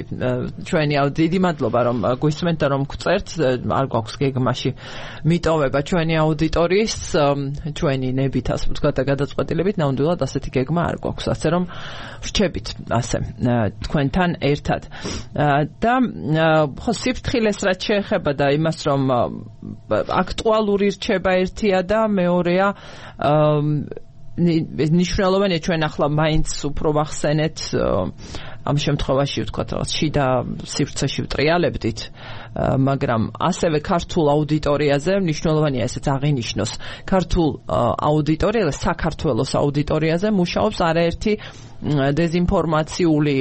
ჩვენი დიდი მადლობა რომ გვისმენთ და რომ გწერთ, არ გვაქვს გეგმაში მიტოვება ჩვენი აუდიტორიის, ჩვენი ნებით ასე ვთქვათ და გადაწყვეტილებით ნამდვილად ასეთი გეგმა არ გვაქვს. ასე რომ ვრჩებით ასე თქვენთან ერთად. და ხო სიფრთხილეს რაც შეეხება და იმას რომ აქტუალური რჩება ერთია და მეორეა ნიშნულოვანია ჩვენ ახლა მაინც უფრო ვახსენეთ ამ შემთხვევაში ვთქვათ რაღაც შიდა სივრცეში ვტრიალებდით, მაგრამ ასევე ქართულ აუდიტორიაზე მნიშვნელოვანია ესეც აღინიშნოს. ქართულ აუდიტორიაზე, საქართველოს აუდიტორიაზე მუშაობს არაერთი დეზინფორმაციული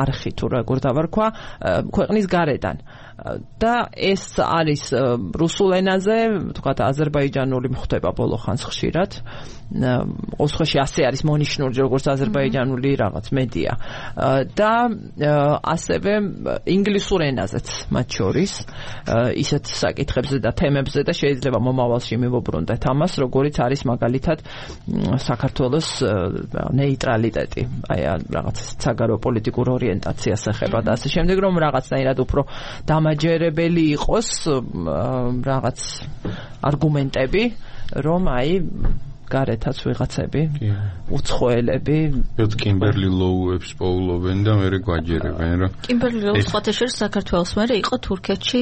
არხი თუ როგორ დავარქვა ქვეყნის გარედან. და ეს არის რუსულ ენაზე, ვთქვათ აზერბაიჯანული მხდება ბოლო ხანს ხშირად. ოსხოში ასე არის მონიშნული როგორც აზერბაიჯანული რაღაც მედია. და ასევე ინგლისურ ენაზეც მათ შორის ისეთ საკითხებზე და თემებზე და შეიძლება მომავალში მივუბრუნდეთ ამას, როგორიც არის მაგალითად საქართველოს ნეიტრალიტეტი, აი რაღაც საგარეო პოლიტიკურ ორიენტაციას ეხება და ასე შემდეგ, რომ რაღაცნაირად უფრო დამაჯერებელი იყოს რაღაც არგუმენტები, რომ აი გარეთაც ვიღაცები უცხოელები კიმბერლი ლოუებს პოულობენ და მერე გვაჯერებენ რა. კიმბერლი ლოუ სხვათა შორის საქართველოს მერე იყო თურქეთში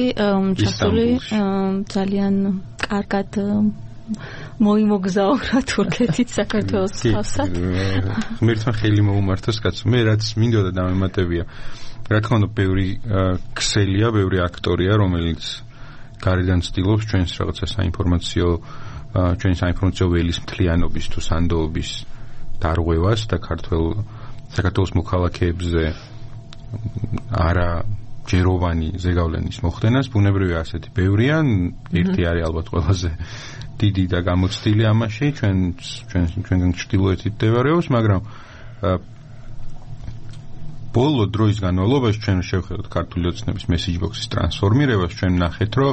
ჩასული ძალიან კარგად მოიმოგზაურა თურქეთით საქართველოს ხალხსაც. ღმერთმა ხელი მოუმართოს კაცო. მე რაც მინდოდა დამემატებია რა თქმა უნდა, ბევრი ქსელია, ბევრი აქტორია, რომელიც გარედან ცდილობს ჩვენს რაღაცა საინფორმაციო ჩვენი საინფორმაციო ველის მთლიანობის თუ სანდოობის დარღვევას და ქართულ საქართველოს მოქალაქეებზე არა ჯეროვანი ზეგავლენის მოხდენას. ბუნებრივია ასეთი ბევრია, ერთი არის ალბათ ყველაზე დიდი და გამოცდილი ამაში, ჩვენ ჩვენ ჩვენგან ჩრდილოეთით მდებარეობს, მაგრამ ბოლო დროის განმავლობაში ჩვენ შევხედოთ ქართული ოცნების message box-ის ტრანსფორმირებას, ჩვენ ნახეთ, რომ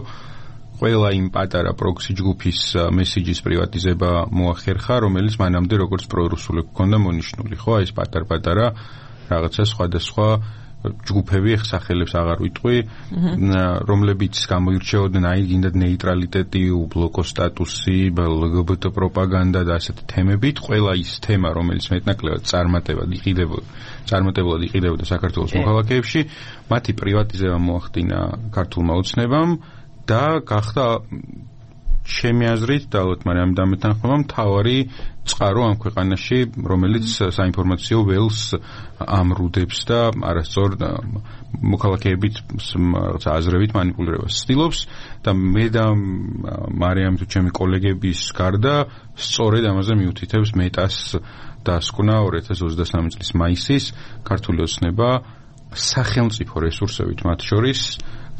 ყველა იმ პატარა პროქსი ჯგუფის მესიჯის პრივატიზება მოახერხა, რომელიც მანამდე როგორც პრორუსული გქონდა მონიშნული, ხო, ეს პატარ-პატარა რაღაცა სხვადასხვა ჯგუფები, სახელებს აღარ ვიტყვი, რომლებიც გამოირჩეოდნენ აი გინდათ ნეიტრალიტეტი, უბლოკო სტატუსი, ლგბტ პროპაგანდა და ასეთი თემებით, ყველა ის თემა, რომელიც მეტნაკლებად წარმატებად იყიდებოდა, წარმატებულად იყიდებოდა საქართველოს მოქალაქეებში, მათი პრივატიზება მოახდინა ქართულმა ოცნებამ და გახდა ჩემი აზრით და ალბათ მაგრამ ამ დამეთანხმება მთავარი წყარო ამ ქვეყანაში, რომელიც საინფორმაციო ველს ამრუდებს და არასწორ მოქალაქეებით რაღაცა აზრებით მანიპულირებას ცდილობს და მე და მარიამ თუ ჩემი კოლეგების გარდა სწორედ ამაზე მიუთითებს მეტას დასკვნა ორი ათას ოცდასამი წლის მაისის ქართული ოცნება სახელმწიფო რესურსებით მათ შორის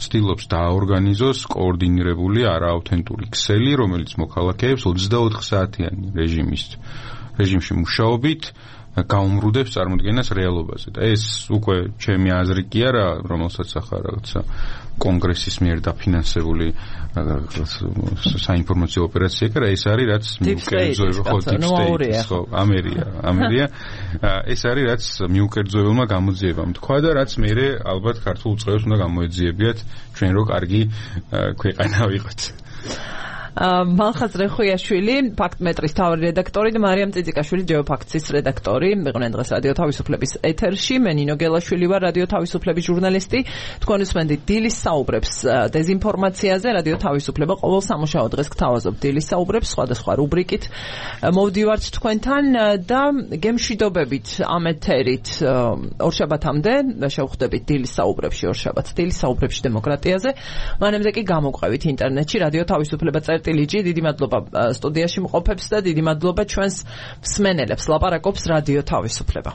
ცდილობს დააორგანიზოს კოორდინირებული არაავთენტური ქსელი, რომელიც მოქალაქეებს ოცდაოთხ საათიანი რეჟიმის რეჟიმში მუშაობით გაუმრუდებს წარმოდგენას რეალობაზე. და ეს უკვე ჩემი აზრი კი არა, რომელსაც ახლა რაღაცა კონგრესის მიერ დაფინანსებული საინფორმაციო ოპერაცია კი არა, ეს არის რაც მიუკერძოება ხო დიპსტეიტის ხო ამერია, ამერია ეს არის რაც მიუკერძოებელმა გამოძიებამ თქვა და რაც მე ალბათ ქართულ წყევს უნდა გამოეძიებიათ ჩვენ რო კარგი ქვეყანა ვიყოთ. მალხაზ რეხუიაშვილი, ფაქტმეტრის თავი რედაქტორი და მარიამ წიწიკაშვილი, ჯეოფაქტის რედაქტორი. მეყვნენ დღეს რადიო თავისუფლების ეთერში. მე ნინო გელაშვილი ვარ, რადიო თავისუფლების ჟურნალისტი. თქვენ უსმენთ დილის საუბრებს დეზინფორმაციაზე. რადიო თავისუფლება ყოველ სამუშაო დღეს გთავაზობ დილის საუბრებს სხვადასხვა რუბრიკით. მოვდივართ თქვენთან და გემშვიდობებით ამ ეთერით ორშაბათამდე შევხვდებით დილის საუბრებში, ორშაბათს დილის საუბრებში დემოკრატიაზე. მანამდე კი გამოგვყევით ინტერნეტში რადიო თავისუფლება წერტილიჯი. დიდი მადლობა სტუდიაში მყოფებს და დიდი მადლობა ჩვენს მსმენელებს. ლაპარაკობს რადიო თავისუფლება.